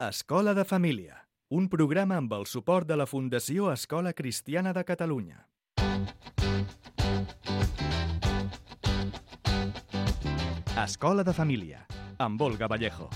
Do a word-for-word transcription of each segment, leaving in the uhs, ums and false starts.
Escola de Família, un programa amb el suport de la Fundació Escola Cristiana de Catalunya. Escola de Família, amb Olga Vallejo.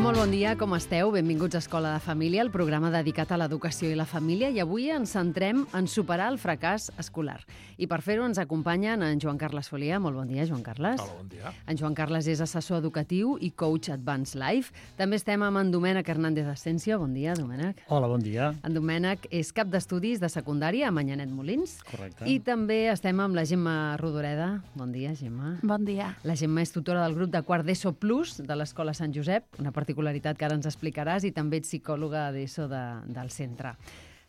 Molt bon dia, com esteu? Benvinguts a Escola de Família, el programa dedicat a l'educació i la família, i avui ens centrem en superar el fracàs escolar. I per fer-ho ens acompanyen en Joan Carles Folia. Molt bon dia, Joan Carles. Hola, bon dia. En Joan Carles és assessor educatiu i coach Advanced Life. També estem amb en Domènec Hernández Asensio. Bon dia, Domènec. Hola, bon dia. En Domènec és cap d'estudis de secundària a Manyanet Molins. Correcte. I també estem amb la Gemma Rodoreda. Bon dia, Gemma. Bon dia. La Gemma és tutora del grup de quart d'ESO Plus de l'Escola Sant Josep, una particularitat que ara ens explicaràs, i també ets psicòloga d'ESO de, del centre.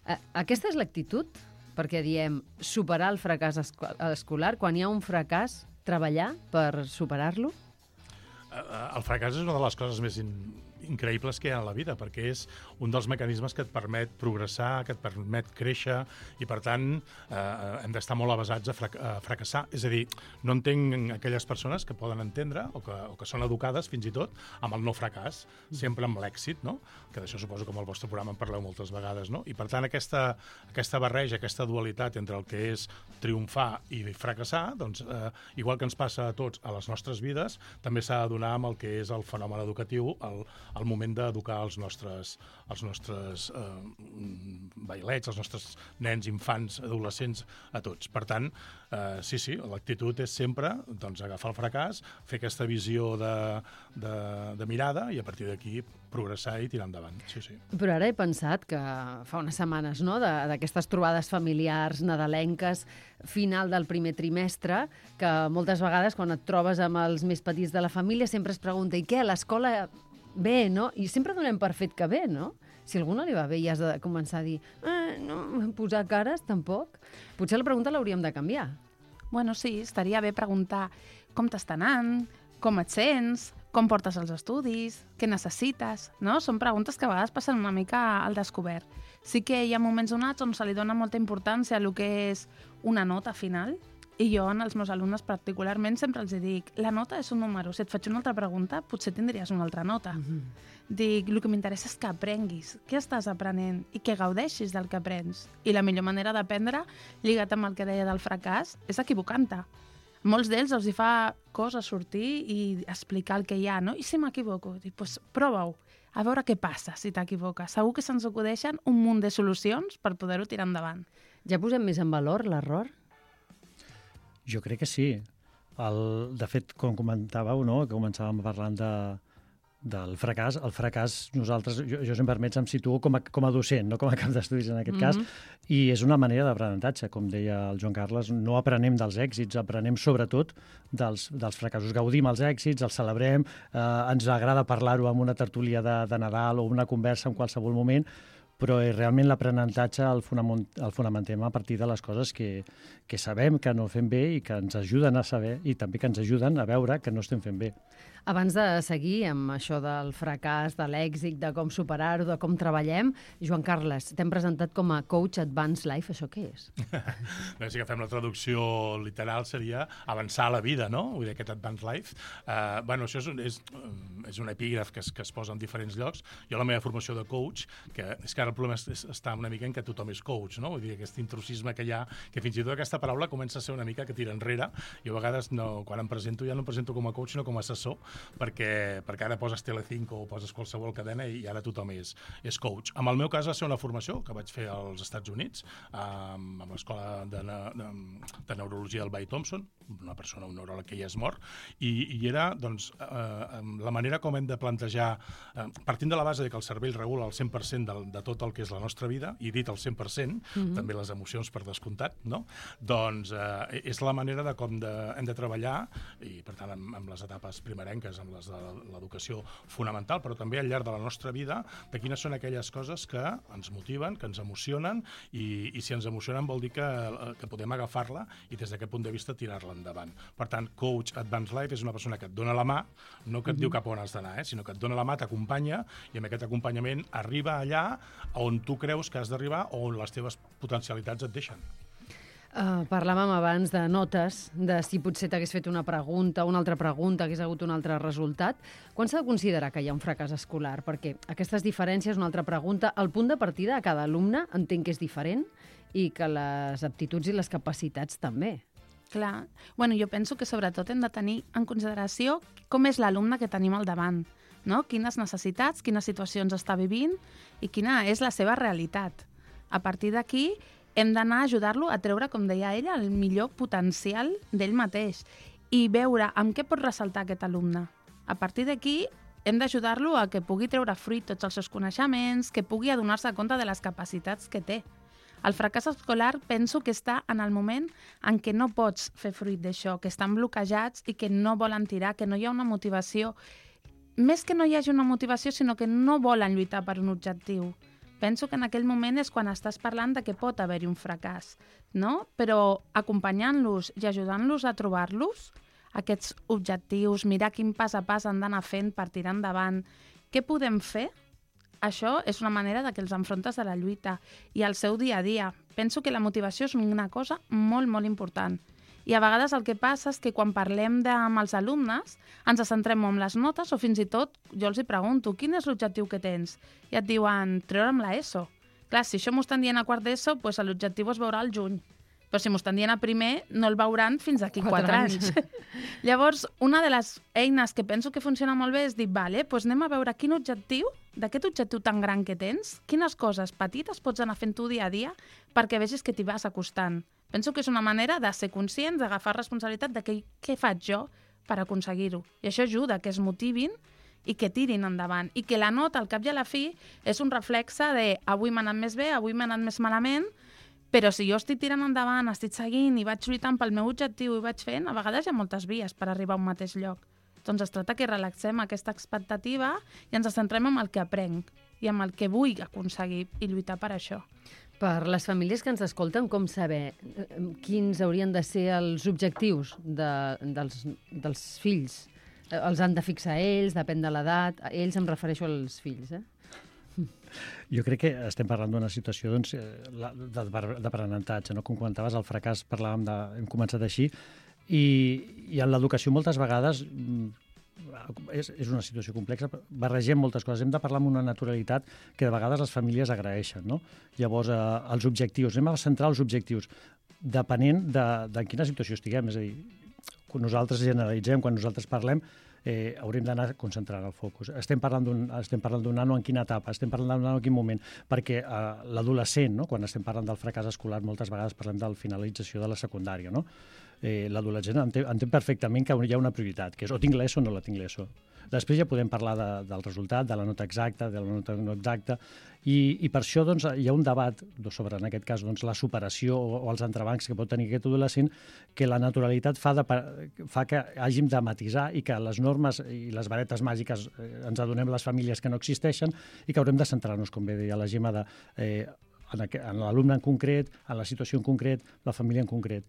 Eh, aquesta és l'actitud? Perquè diem superar el fracàs esco escolar, quan hi ha un fracàs, treballar per superar-lo? El fracàs és una de les coses més in, increïbles que hi ha a la vida, perquè és un dels mecanismes que et permet progressar, que et permet créixer, i per tant eh, hem d'estar molt avasats a, frac a fracassar. És a dir, no entenc aquelles persones que poden entendre o que, o que són educades fins i tot amb el no fracàs, sempre amb l'èxit, no? Que d'això suposo que amb el vostre programa en parleu moltes vegades, no? I per tant aquesta, aquesta barreja, aquesta dualitat entre el que és triomfar i fracassar, doncs eh, igual que ens passa a tots a les nostres vides, també s'ha de donar amb el que és el fenomen educatiu, el, el moment d'educar els nostres, els nostres eh, bailets, els nostres nens, infants, adolescents, a tots. Per tant, eh, sí, sí, l'actitud és sempre doncs, agafar el fracàs, fer aquesta visió de, de, de mirada i a partir d'aquí progressar i tirar endavant. Sí, sí. Però ara he pensat que fa unes setmanes, no?, d'aquestes trobades familiars, nadalenques, final del primer trimestre, que moltes vegades quan et trobes amb els més petits de la família sempre es pregunta, i què, l'escola bé, no? I sempre donem per fet que bé, no? Si a algú no li va bé i has de començar a dir eh, no, posar cares, tampoc. Potser la pregunta l'hauríem de canviar. Bueno, sí, estaria bé preguntar com t'està anant, com et sents, com portes els estudis, què necessites, no? Són preguntes que a vegades passen una mica al descobert. Sí que hi ha moments donats on se li dona molta importància a el que és una nota final, i jo, en els meus alumnes particularment, sempre els dic, la nota és un número, si et faig una altra pregunta, potser tindries una altra nota. Mm-hmm. Dic, el que m'interessa és que aprenguis, què estàs aprenent i que gaudeixis del que aprens. I la millor manera d'aprendre, lligat amb el que deia del fracàs, és equivocant-te. Molts d'ells els hi fa cosa sortir i explicar el que hi ha, no? I si m'equivoco? Dic, doncs prova-ho, a veure què passa si t'equivoques. Segur que se'ns acudeixen un munt de solucions per poder-ho tirar endavant. Ja posem més en valor l'error? Jo crec que sí. El, de fet, com comentàveu, no?, que començàvem parlant de, del fracàs, el fracàs nosaltres, jo, jo si em permets, em situo com a, com a docent, no com a cap d'estudis en aquest mm-hmm. cas, i és una manera d'aprenentatge, com deia el Joan Carles, no aprenem dels èxits, aprenem sobretot dels, dels fracassos. Gaudim els èxits, els celebrem, eh, ens agrada parlar-ho en una tertúlia de, de Nadal o una conversa en qualsevol moment, però realment l'aprenentatge el, fonament, el fonamentem a partir de les coses que, que sabem que no fem bé i que ens ajuden a saber i també que ens ajuden a veure que no estem fent bé. Abans de seguir amb això del fracàs, de l'èxit, de com superar-ho, de com treballem, Joan Carles, t'hem presentat com a coach Advanced Life, això què és? Bé, si agafem la traducció literal seria avançar a la vida, no? Vull dir, aquest Advanced Life. Uh, bueno, això és, un, és, és un epígraf que es, que es posa en diferents llocs. Jo la meva formació de coach, que és que ara el problema és, és, està una mica en que tothom és coach, no? Vull dir, aquest intrusisme que hi ha, que fins i tot aquesta paraula comença a ser una mica que tira enrere. Jo a vegades, no, quan em presento, ja no em presento com a coach, sinó com a assessor, perquè, perquè ara poses Telecinco o poses qualsevol cadena i ara tothom és, és coach. En el meu cas va ser una formació que vaig fer als Estats Units, amb, amb l'escola de, de, de neurologia del Bay Thompson, una persona, un neuròleg que ja és mort, i, i era doncs, eh, la manera com hem de plantejar, eh, partint de la base de que el cervell regula el cent per cent de, de tot el que és la nostra vida, i dit el cent per cent, mm-hmm. també les emocions per descomptat, no? Doncs eh, és la manera de com de, hem de treballar, i per tant amb, amb les etapes primerenques bàsiques, amb les de l'educació fonamental, però també al llarg de la nostra vida, de quines són aquelles coses que ens motiven, que ens emocionen, i, i si ens emocionen vol dir que, que podem agafar-la i des d'aquest punt de vista tirar-la endavant. Per tant, Coach Advanced Life és una persona que et dona la mà, no que et diu cap on has d'anar, eh, sinó que et dona la mà, t'acompanya, i amb aquest acompanyament arriba allà on tu creus que has d'arribar o on les teves potencialitats et deixen. Uh, parlàvem abans de notes, de si potser t'hagués fet una pregunta, una altra pregunta, hagués hagut un altre resultat. Quan s'ha de considerar que hi ha un fracàs escolar? Perquè aquestes diferències, una altra pregunta, el punt de partida a cada alumne entenc que és diferent i que les aptituds i les capacitats també. Clar. Bueno, jo penso que sobretot hem de tenir en consideració com és l'alumne que tenim al davant, no? Quines necessitats, quines situacions està vivint i quina és la seva realitat. A partir d'aquí, hem d'anar a ajudar-lo a treure, com deia ella, el millor potencial d'ell mateix i veure amb què pot ressaltar aquest alumne. A partir d'aquí, hem d'ajudar-lo a que pugui treure fruit tots els seus coneixements, que pugui adonar-se compte de les capacitats que té. El fracàs escolar penso que està en el moment en què no pots fer fruit d'això, que estan bloquejats i que no volen tirar, que no hi ha una motivació. Més que no hi hagi una motivació, sinó que no volen lluitar per un objectiu. Penso que en aquell moment és quan estàs parlant de que pot haver-hi un fracàs, no? Però acompanyant-los i ajudant-los a trobar-los, aquests objectius, mirar quin pas a pas han d'anar fent per tirar endavant, què podem fer? Això és una manera de que els enfrontes a la lluita i al seu dia a dia. Penso que la motivació és una cosa molt, molt important. I a vegades el que passa és que quan parlem de, amb els alumnes ens centrem en les notes o fins i tot jo els hi pregunto quin és l'objectiu que tens? I et diuen treure'm la ESO. Clar, si això m'ho estan dient a quart d'ESO, doncs l'objectiu es veurà al juny. Però si m'ho estan dient a primer, no el veuran fins d'aquí quatre, quatre anys. anys. Llavors, una de les eines que penso que funciona molt bé és dir, vale, doncs anem a veure quin objectiu, d'aquest objectiu tan gran que tens, quines coses petites pots anar fent tu dia a dia perquè vegis que t'hi vas acostant. Penso que és una manera de ser conscients, d'agafar responsabilitat de què, què faig jo per aconseguir-ho. I això ajuda que es motivin i que tirin endavant. I que la nota, al cap i a la fi, és un reflexe de avui m'ha anat més bé, avui m'ha anat més malament, però si jo estic tirant endavant, estic seguint i vaig lluitant pel meu objectiu i vaig fent, a vegades hi ha moltes vies per arribar a un mateix lloc. Doncs es tracta que relaxem aquesta expectativa i ens centrem en el que aprenc i en el que vull aconseguir i lluitar per això. Per les famílies que ens escolten, com saber quins haurien de ser els objectius de, dels, dels fills? Els han de fixar ells, depèn de l'edat. Ells em refereixo als fills, eh? Jo crec que estem parlant d'una situació doncs, d'aprenentatge, no? Com comentaves, el fracàs parlàvem de... hem començat així, i, i en l'educació moltes vegades és, és una situació complexa, barregem moltes coses, hem de parlar amb una naturalitat que de vegades les famílies agraeixen, no? Llavors, eh, els objectius, anem a centrar els objectius, depenent de, de quina situació estiguem, és a dir, quan nosaltres generalitzem, quan nosaltres parlem, eh, haurem d'anar concentrant el focus. Estem parlant d'un estem parlant d'un nano en quina etapa, estem parlant d'un nano en quin moment, perquè eh, l'adolescent, no? Quan estem parlant del fracàs escolar, moltes vegades parlem de la finalització de la secundària, no? Eh, l'adolescent entén, entén perfectament que hi ha una prioritat, que és o tinc l'ESO o no la tinc l'ESO. Després ja podem parlar de, del resultat, de la nota exacta, de la nota no exacta, i, i per això doncs, hi ha un debat sobre, en aquest cas, doncs, la superació o, o els entrebancs que pot tenir aquest adolescent, que la naturalitat fa, de, fa que hàgim de matisar i que les normes i les varetes màgiques eh, ens adonem les famílies que no existeixen i que haurem de centrar-nos, com bé deia la Gemma, de, eh, en, en l'alumne en concret, en la situació en concret, la família en concret.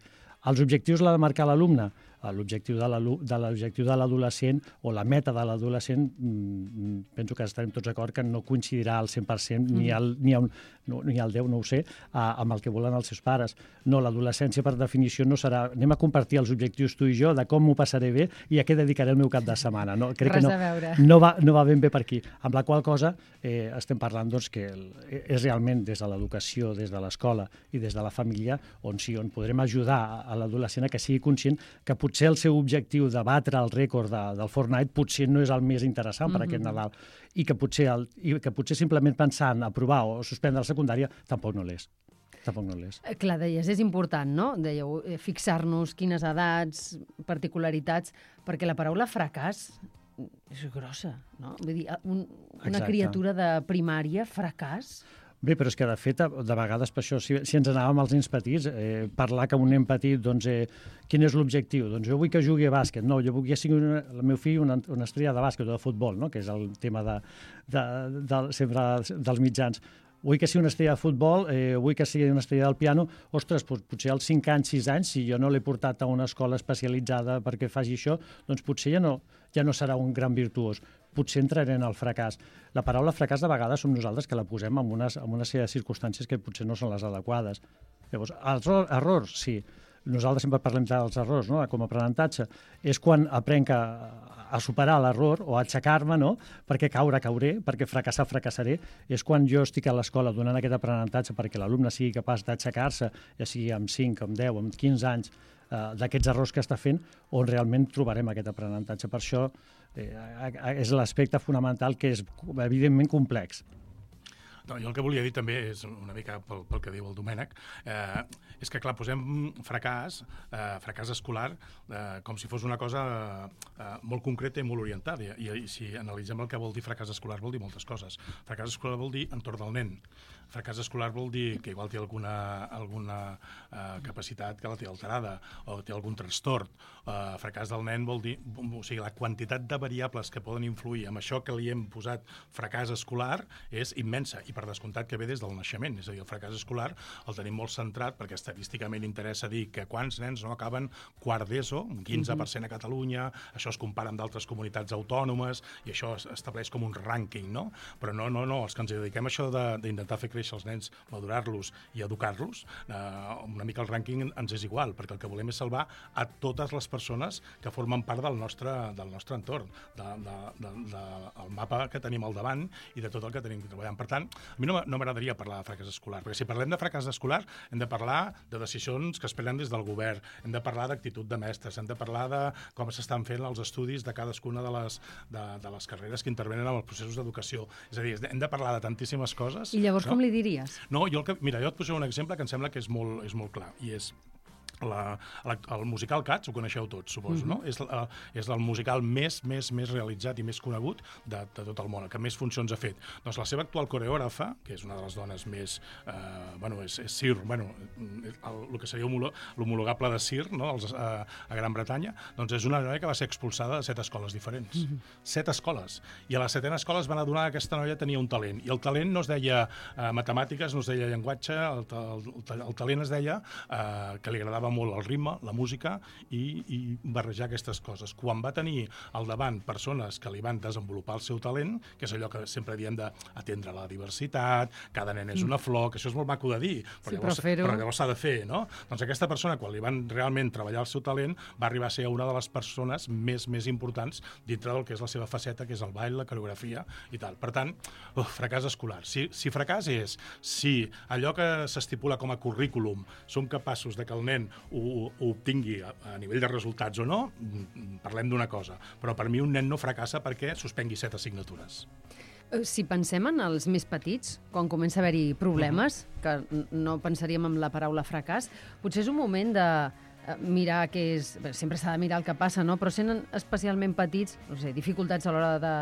Els objectius l'ha de marcar l'alumne. L'objectiu de l'objectiu de l'adolescent o la meta de l'adolescent, mmm, penso que estarem tots d'acord que no coincidirà al cent per cent ni al, ni al, no, ni al deu, no ho sé, a, amb el que volen els seus pares. No, l'adolescència per definició no serà anem a compartir els objectius tu i jo de com m'ho passaré bé i a què dedicaré el meu cap de setmana. No, crec Res que no, a veure. No va, no va ben bé per aquí. Amb la qual cosa eh, estem parlant doncs, que el, és realment des de l'educació, des de l'escola i des de la família on sí, on podrem ajudar a l'adolescent a que sigui conscient que potser el seu objectiu de batre el rècord de, del Fortnite potser no és el més interessant per mm-hmm. aquest Nadal i que, potser el, i que potser simplement pensar en aprovar o suspendre la secundària tampoc no l'és. Tampoc no l'és. Clar, deies, és important, no? Dèieu, fixar-nos quines edats, particularitats, perquè la paraula fracàs és grossa, no? Vull dir, un, una Exacte. Criatura de primària, fracàs... Bé, però és que, de fet, de vegades, per això, si, si ens anàvem als nens petits, eh, parlar que un nen petit, doncs, eh, quin és l'objectiu? Doncs jo vull que jugui a bàsquet. No, jo vull que sigui una, el meu fill una, una estrella de bàsquet o de futbol, no? Que és el tema de, de, de, sempre dels mitjans. Vull que sigui una estrella de futbol, eh, vull que sigui una estrella del piano. Ostres, potser als cinc anys, sis anys, si jo no l'he portat a una escola especialitzada perquè faci això, doncs potser ja no, ja no serà un gran virtuós. Potser entraré en el fracàs. La paraula fracàs de vegades som nosaltres que la posem en, unes, en una sèrie de circumstàncies que potser no són les adequades. Llavors, els errors, sí. Nosaltres sempre parlem dels errors, no? Com a aprenentatge. És quan aprenc a, a superar l'error o a aixecar-me, no? Perquè caure, cauré, perquè fracassar, fracassaré. És quan jo estic a l'escola donant aquest aprenentatge perquè l'alumne sigui capaç d'aixecar-se, ja sigui amb cinc, amb deu, amb quinze anys, eh, d'aquests errors que està fent, on realment trobarem aquest aprenentatge. Per això eh, és l'aspecte fonamental, que és evidentment complex. No, jo el que volia dir també és una mica pel, pel que diu el Domènec, eh, és que, clar, posem fracàs, eh, fracàs escolar, eh, com si fos una cosa eh, molt concreta i molt orientada. I, I si analitzem el que vol dir fracàs escolar, vol dir moltes coses. Fracàs escolar vol dir entorn del nen. Fracàs escolar vol dir que igual té alguna, alguna eh, capacitat que la té alterada o té algun trastorn. Eh, fracàs del nen vol dir, o sigui, la quantitat de variables que poden influir amb això que li hem posat fracàs escolar és immensa, i per descomptat que ve des del naixement. És a dir, el fracàs escolar el tenim molt centrat perquè estadísticament interessa dir que quants nens no acaben quart d'ESO, un quinze per cent a Catalunya, això es compara amb d'altres comunitats autònomes i això es estableix com un rànquing, no? Però no, no, no, els que ens dediquem a això d'intentar fer créixer els nens, madurar-los i educar-los, eh, una mica el rànquing ens és igual, perquè el que volem és salvar a totes les persones que formen part del nostre, del nostre entorn, del de, de, de, de, mapa que tenim al davant i de tot el que tenim que treballar. Per tant, a mi no, no m'agradaria parlar de fracàs escolar, perquè si parlem de fracàs escolar hem de parlar de decisions que es prenen des del govern, hem de parlar d'actitud de mestres, hem de parlar de com s'estan fent els estudis de cadascuna de les, de, de les carreres que intervenen en els processos d'educació. És a dir, hem de parlar de tantíssimes coses. I llavors no? Com li diries? No, jo el que, mira, jo et posaré un exemple que em sembla que és molt, és molt clar, i és La, la, el musical Cats, ho coneixeu tots, suposo, mm-hmm. no? És, uh, és el musical més, més, més realitzat i més conegut de, de tot el món, el que més funcions ha fet. Doncs la seva actual coreògrafa, que és una de les dones més... Uh, bueno, és, és Sir, bueno, el, el que seria l'homologable de Sir, no? Els, uh, a Gran Bretanya, doncs és una noia que va ser expulsada de set escoles diferents. Mm-hmm. Set escoles. I a la setena escola es van adonar que aquesta noia tenia un talent. I el talent no es deia uh, matemàtiques, no es deia llenguatge, el, el, el, el talent es deia uh, que li agradava molt el ritme, la música i, i barrejar aquestes coses. Quan va tenir al davant persones que li van desenvolupar el seu talent, que és allò que sempre diem d'atendre la diversitat, cada nen és una flor, que això és molt maco de dir, però, sí, llavors, però, però llavors s'ha de fer, no? Doncs aquesta persona, quan li van realment treballar el seu talent, va arribar a ser una de les persones més més importants dintre del que és la seva faceta, que és el ball, la coreografia i tal. Per tant, uf, fracàs escolar. Si, si fracàs és si allò que s'estipula com a currículum som capaços de que el nen ho, ho obtingui a, a nivell de resultats o no, parlem d'una cosa. Però per mi un nen no fracassa perquè suspengui set assignatures. Si pensem en els més petits, quan comença a haver-hi problemes, uh-huh. que no pensaríem en la paraula fracàs, potser és un moment de mirar què és... Bé, sempre s'ha de mirar el que passa, no? Però sent especialment petits, no sé, dificultats a l'hora de,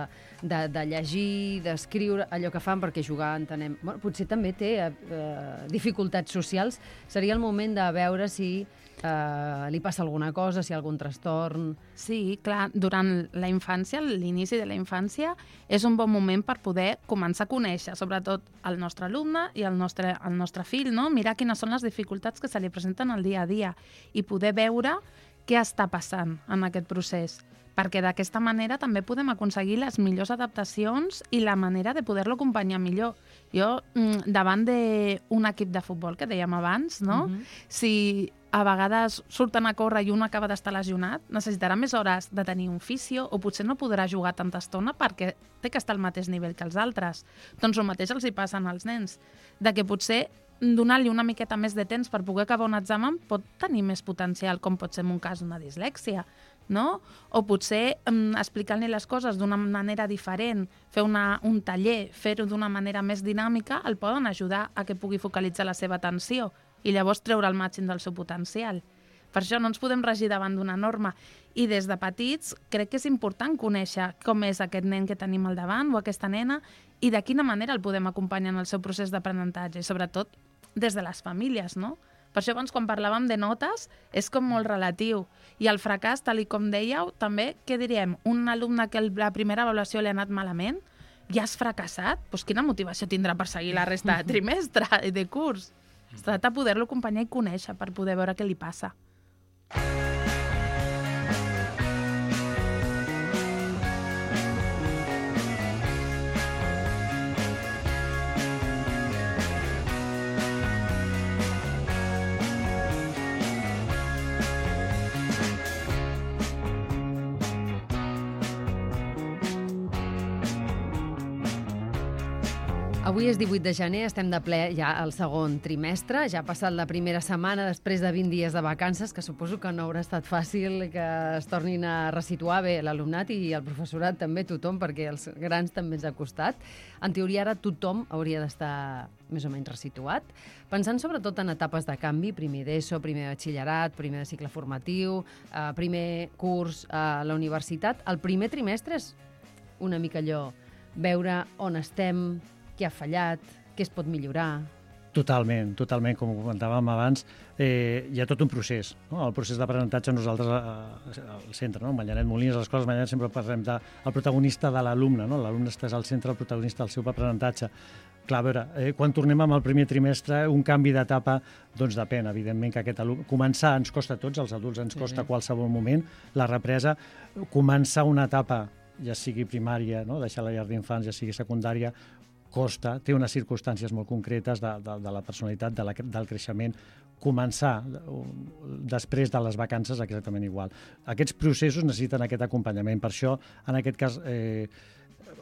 de, de llegir, d'escriure, allò que fan, perquè jugar entenem... Bueno, potser també té eh, dificultats socials. Seria el moment de veure si eh, li passa alguna cosa, si hi ha algun trastorn... Sí, clar, durant la infància, l'inici de la infància, és un bon moment per poder començar a conèixer, sobretot el nostre alumne i el nostre, el nostre fill, no? Mirar quines són les dificultats que se li presenten al dia a dia i poder veure què està passant en aquest procés, perquè d'aquesta manera també podem aconseguir les millors adaptacions i la manera de poder-lo acompanyar millor. Jo, davant d'un equip de futbol, que dèiem abans, no? Mm-hmm. Si a vegades surten a córrer i un acaba d'estar lesionat, necessitarà més hores de tenir un fisio o potser no podrà jugar tanta estona perquè té que estar al mateix nivell que els altres. Doncs el mateix els hi passa als nens, de que potser donar-li una miqueta més de temps per poder acabar un examen pot tenir més potencial, com pot ser en un cas una dislèxia, no? O potser um, explicant-li les coses d'una manera diferent, fer una, un taller, fer-ho d'una manera més dinàmica, el poden ajudar a que pugui focalitzar la seva atenció i llavors treure el màxim del seu potencial. Per això no ens podem regir davant d'una norma. I des de petits crec que és important conèixer com és aquest nen que tenim al davant o aquesta nena i de quina manera el podem acompanyar en el seu procés d'aprenentatge, i sobretot des de les famílies, no? Per això abans, quan parlàvem de notes, és com molt relatiu. I el fracàs, tal i com dèieu, també, què diríem? Un alumne que la primera avaluació li ha anat malament, ja has fracassat? Doncs quina motivació tindrà per seguir la resta de trimestre i de curs? Es tracta de poder-lo acompanyar i conèixer per poder veure què li passa. Avui és divuit de gener, estem de ple ja al segon trimestre, ja ha passat la primera setmana després de vint dies de vacances, que suposo que no haurà estat fàcil que es tornin a resituar bé l'alumnat i el professorat també, tothom, perquè els grans també ens ha costat. En teoria ara tothom hauria d'estar més o menys resituat, pensant sobretot en etapes de canvi, primer d'ESO, primer de batxillerat, primer de cicle formatiu, eh, primer curs a la universitat. El primer trimestre és una mica allò, veure on estem, què ha fallat, què es pot millorar. Totalment, totalment. Com comentàvem abans, eh, hi ha tot un procés. No? El procés d'aprenentatge nosaltres eh, al centre, no? Manyanet Molins, a l'escola Manyanet sempre parlem del de, protagonista de l'alumne, no? L'alumne està al centre, el protagonista del seu aprenentatge. Clar, a veure, eh, quan tornem amb el primer trimestre, un canvi d'etapa, doncs depèn, evidentment, que aquest alumne... Començar ens costa a tots, als adults ens costa a qualsevol moment, la represa, començar una etapa, ja sigui primària, no? Deixar la llar d'infants, ja sigui secundària, costa, té unes circumstàncies molt concretes de, de, de la personalitat, de la, del creixement. Començar després de les vacances exactament igual. Aquests processos necessiten aquest acompanyament. Per això, en aquest cas, eh,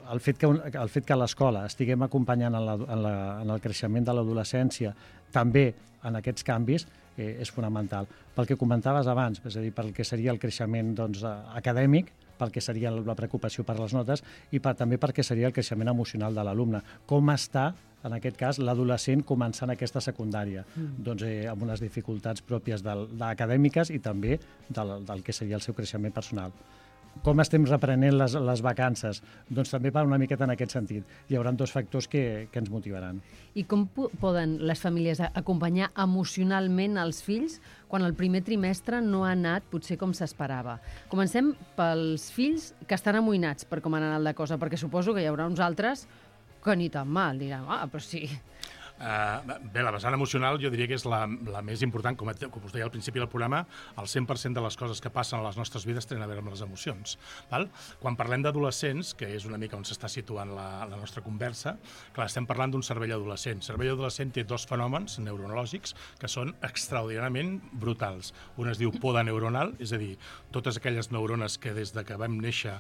el fet que, el fet que a l'escola estiguem acompanyant en, la, en, la, en el creixement de l'adolescència, també en aquests canvis, eh, és fonamental. Pel que comentaves abans, és a dir, pel que seria el creixement doncs, acadèmic, pel que seria la preocupació per les notes i per, també perquè seria el creixement emocional de l'alumne. Com està, en aquest cas, l'adolescent començant aquesta secundària? Mm. Doncs eh, amb unes dificultats pròpies del, acadèmiques i també del, del que seria el seu creixement personal. Com estem reprenent les, les vacances? Doncs també va una miqueta en aquest sentit. Hi haurà dos factors que, que ens motivaran. I com poden les famílies acompanyar emocionalment els fills quan el primer trimestre no ha anat potser com s'esperava? Comencem pels fills que estan amoïnats per com ha anat la cosa, perquè suposo que hi haurà uns altres que ni tan mal, diran, ah, però sí... Uh, bé, la vessant emocional jo diria que és la, la més important, com, com us deia al principi del programa, el cent per cent de les coses que passen a les nostres vides tenen a veure amb les emocions. Val? Quan parlem d'adolescents, que és una mica on s'està situant la, la nostra conversa, clar, estem parlant d'un cervell adolescent. El cervell adolescent té dos fenòmens neurològics que són extraordinàriament brutals. Un es diu poda neuronal, és a dir, totes aquelles neurones que des de que vam néixer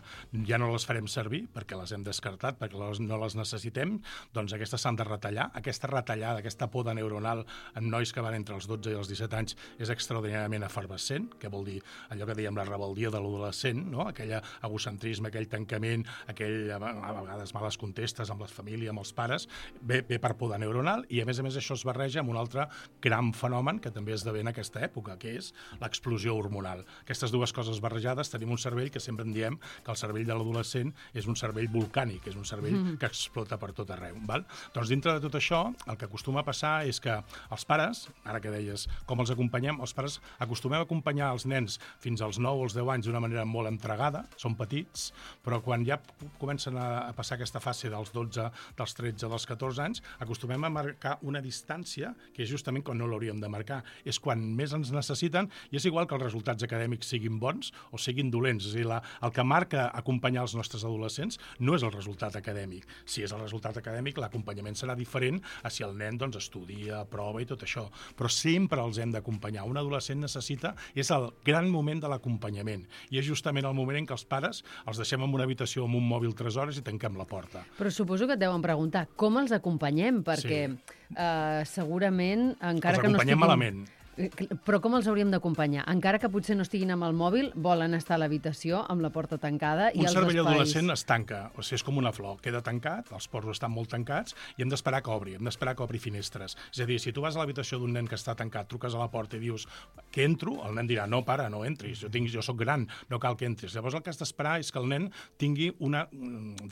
ja no les farem servir perquè les hem descartat, perquè les, no les necessitem, doncs aquestes s'han de retallar. Aquesta retallada d'aquesta poda neuronal en nois que van entre els dotze i els disset anys és extraordinàriament efervescent, que vol dir allò que dèiem la rebeldia de l'adolescent, no? Aquell egocentrisme, aquell tancament, aquell, a vegades males contestes amb la família, amb els pares, ve, ve per poda neuronal i a més a més això es barreja amb un altre gran fenomen que també esdevé en aquesta època, que és l'explosió hormonal. Aquestes dues coses barrejades tenim un cervell que sempre en diem que el cervell de l'adolescent és un cervell volcànic, és un cervell mm. que explota per tot arreu. Val? Doncs dintre de tot això, el que acostuma a passar és que els pares, ara que deies com els acompanyem, els pares acostumem a acompanyar els nens fins als nou o els deu anys d'una manera molt entregada, són petits, però quan ja comencen a passar aquesta fase dels dotze, dels tretze, dels catorze anys, acostumem a marcar una distància que és justament quan no l'hauríem de marcar. És quan més ens necessiten i és igual que els resultats acadèmics siguin bons o siguin dolents. És a dir, la, el que marca acompanyar els nostres adolescents no és el resultat acadèmic. Si és el resultat acadèmic, l'acompanyament serà diferent a si el nen doncs, estudia, prova i tot això. Però sempre els hem d'acompanyar. Un adolescent necessita, és el gran moment de l'acompanyament. I és justament el moment en què els pares els deixem en una habitació amb un mòbil tres hores i tanquem la porta. Però suposo que et deuen preguntar com els acompanyem, perquè sí. eh, segurament, encara els que no estiguin... malament. Però com els hauríem d'acompanyar? Encara que potser no estiguin amb el mòbil, volen estar a l'habitació amb la porta tancada i un els cervell espais... adolescent es tanca, o sigui, és com una flor, queda tancat, els ports estan molt tancats i hem d'esperar que obri, hem d'esperar que obri finestres. És a dir, si tu vas a l'habitació d'un nen que està tancat, truques a la porta i dius que entro, el nen dirà, no, pare, no entris, jo, tinc, jo soc gran, no cal que entris. Llavors el que has d'esperar és que el nen tingui una,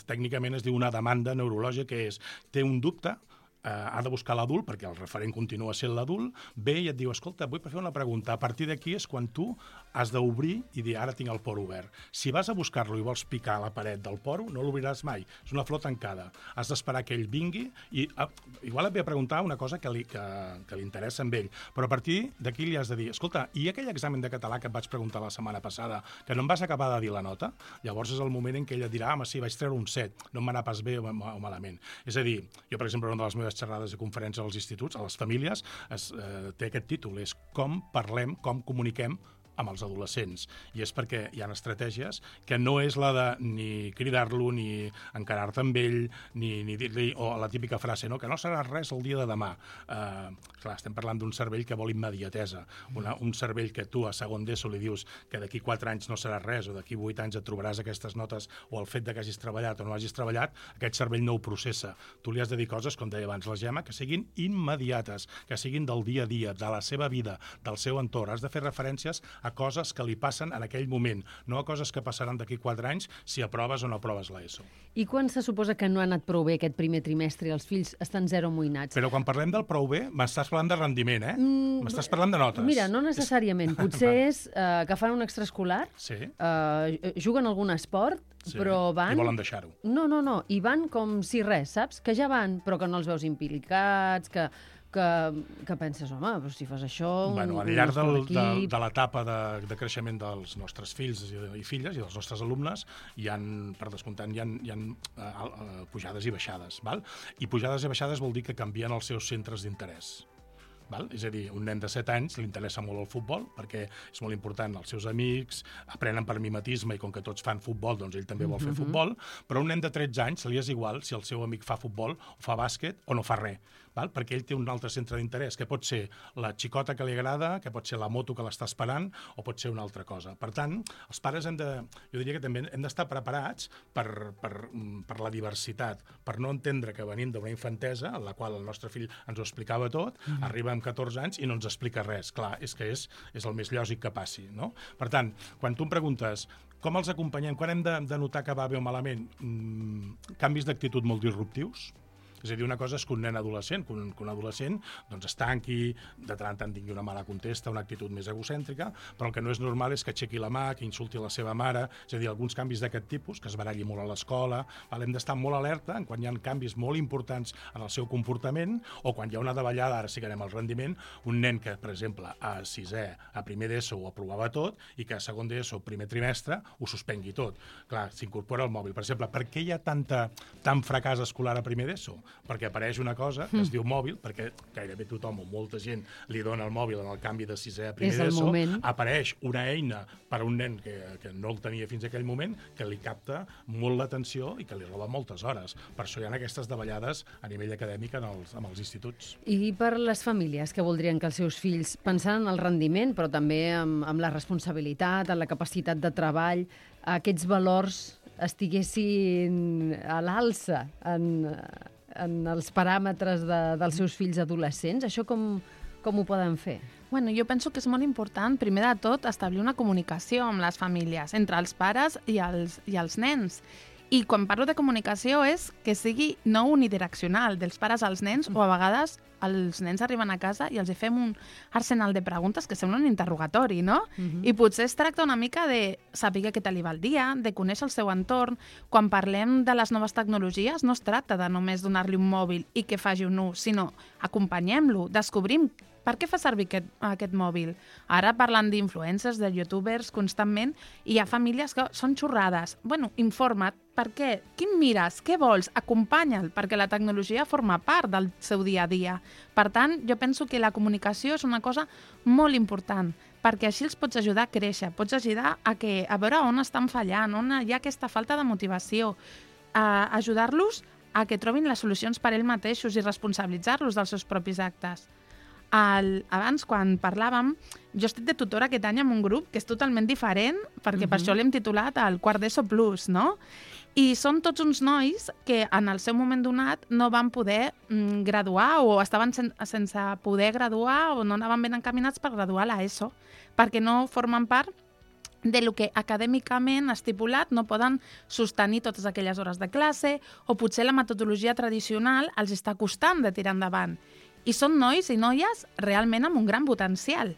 tècnicament es diu una demanda neurològica, que és, té un dubte, Uh, ha de buscar l'adult, perquè el referent continua sent l'adult, ve i et diu, escolta, vull fer una pregunta. A partir d'aquí és quan tu has d'obrir i dir, ara tinc el poro obert. Si vas a buscar-lo i vols picar a la paret del poro, no l'obriràs mai. És una flor tancada. Has d'esperar que ell vingui i uh, igual et ve a preguntar una cosa que li, que, que li interessa amb ell, però a partir d'aquí li has de dir, escolta, i aquell examen de català que et vaig preguntar la setmana passada, que no em vas acabar de dir la nota? Llavors és el moment en què ella dirà, home, sí, vaig treure un set, no em va anar pas bé o, o malament. És a dir, jo, per exemple, una de les meves xerrades i conferències als instituts, a les famílies, es, eh, té aquest títol, és com parlem, com comuniquem amb els adolescents. I és perquè hi ha estratègies que no és la de ni cridar-lo, ni encarar-te amb ell, ni, ni dir-li, o la típica frase, no? Que no serà res el dia de demà. Uh, clar, estem parlant d'un cervell que vol immediatesa. Una, un cervell que tu a segon d'ESO li dius que d'aquí quatre anys no serà res, o d'aquí vuit anys et trobaràs aquestes notes, o el fet de que hagis treballat o no hagis treballat, aquest cervell no ho processa. Tu li has de dir coses, com deia abans la Gemma, que siguin immediates, que siguin del dia a dia, de la seva vida, del seu entorn. Has de fer referències a coses que li passen en aquell moment, no a coses que passaran d'aquí quatre anys si aproves o no aproves l'ESO. I quan se suposa que no ha anat prou bé aquest primer trimestre i els fills estan zero amoïnats? Però quan parlem del prou bé, m'estàs parlant de rendiment, eh? Mm, m'estàs parlant de notes. Mira, no necessàriament. Potser és uh, que fan un extraescolar, sí. uh, juguen algun esport, sí. però van... I volen deixar-ho. No, no, no. I van com si res, saps? Que ja van, però que no els veus implicats, que... Que, que penses, home, però si fas això... Bueno, al llarg del, de, de l'etapa de, de creixement dels nostres fills i, i filles i dels nostres alumnes, hi ha, per descomptant, hi ha, hi ha uh, uh, pujades i baixades. Val? I pujades i baixades vol dir que canvien els seus centres d'interès. Val? És a dir, un nen de set anys li interessa molt el futbol perquè és molt important, els seus amics aprenen per mimetisme i com que tots fan futbol, doncs ell també vol fer Mm-hmm. futbol, però un nen de tretze anys li és igual si el seu amic fa futbol o fa bàsquet o no fa res. Val? Perquè ell té un altre centre d'interès, que pot ser la xicota que li agrada, que pot ser la moto que l'està esperant, o pot ser una altra cosa. Per tant, els pares hem de, jo diria que també hem d'estar preparats per, per, per la diversitat, per no entendre que venim d'una infantesa, en la qual el nostre fill ens ho explicava tot, mm. arriba amb catorze anys i no ens explica res. Clar, és que és, és el més lògic que passi, no? Per tant, quan tu em preguntes com els acompanyem, quan hem de, de notar que va bé o malament, mm, canvis d'actitud molt disruptius. És a dir, una cosa és que un nen adolescent, que un, que un adolescent doncs es tanqui, de tant en tant tingui una mala contesta, una actitud més egocèntrica, però el que no és normal és que aixequi la mà, que insulti la seva mare, és a dir, alguns canvis d'aquest tipus, que es baralli molt a l'escola, hem d'estar molt alerta en quan hi ha canvis molt importants en el seu comportament, o quan hi ha una davallada, ara sí que anem al rendiment, un nen que, per exemple, a sisè, a primer d'ESO ho aprovava tot, i que a segon d'ESO, primer trimestre, ho suspengui tot. Clar, s'incorpora el mòbil. Per exemple, per què hi ha tanta, tant fracàs escolar a primer d'ESO? Perquè apareix una cosa que es diu mòbil, perquè gairebé tothom o molta gent li dona el mòbil en el canvi de sisè a primer d'ESO, apareix una eina per a un nen que, que no el tenia fins a aquell moment, que li capta molt l'atenció i que li roba moltes hores. Per això hi ha aquestes davallades a nivell acadèmic en els, en els instituts. I per les famílies que voldrien que els seus fills, pensant en el rendiment, però també amb, amb la responsabilitat, en la capacitat de treball, aquests valors estiguessin a l'alça en, en els paràmetres de, dels seus fills adolescents, això com, com ho poden fer? Bueno, jo penso que és molt important, primer de tot, establir una comunicació amb les famílies, entre els pares i els, i els nens. I quan parlo de comunicació és que sigui no unidireccional, dels pares als nens, o a vegades els nens arriben a casa i els hi fem un arsenal de preguntes que sembla un interrogatori, no? Uh-huh. I potser es tracta una mica de saber què tal li va el dia, de conèixer el seu entorn. Quan parlem de les noves tecnologies no es tracta de només donar-li un mòbil i que faci un ús, sinó acompanyem-lo, descobrim per què fa servir aquest, aquest mòbil? Ara parlant d'influencers, de youtubers constantment, i hi ha famílies que són xorrades. Bueno, informa't, per què? Quin mires? Què vols? Acompanya'l, perquè la tecnologia forma part del seu dia a dia. Per tant, jo penso que la comunicació és una cosa molt important, perquè així els pots ajudar a créixer, pots ajudar a, que, a veure on estan fallant, on hi ha aquesta falta de motivació, a ajudar-los a que trobin les solucions per ells mateixos i responsabilitzar-los dels seus propis actes. El, abans, quan parlàvem, jo estic de tutora aquest any en un grup que és totalment diferent, perquè uh-huh. per això l'hem titulat el Quart d'ESO Plus, no? I són tots uns nois que en el seu moment donat no van poder mm, graduar o estaven sen sense poder graduar o no anaven ben encaminats per graduar a l'ESO, perquè no formen part de lo que acadèmicament estipulat no poden sostenir totes aquelles hores de classe o potser la metodologia tradicional els està costant de tirar endavant. I són nois i noies realment amb un gran potencial.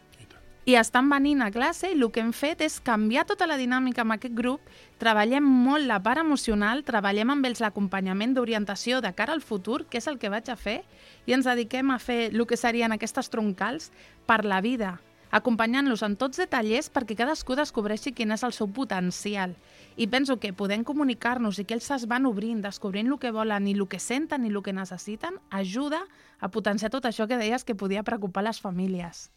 I estan venint a classe i el que hem fet és canviar tota la dinàmica amb aquest grup, treballem molt la part emocional, treballem amb ells l'acompanyament d'orientació de cara al futur, que és el que vaig a fer, i ens dediquem a fer el que serien aquestes troncals per la vida, acompanyant-los en tots de tallers perquè cadascú descobreixi quin és el seu potencial. I penso que podem comunicar-nos i que ells es van obrint, descobrint el que volen i el que senten i el que necessiten, ajuda a potenciar tot això que deies que podia preocupar les famílies.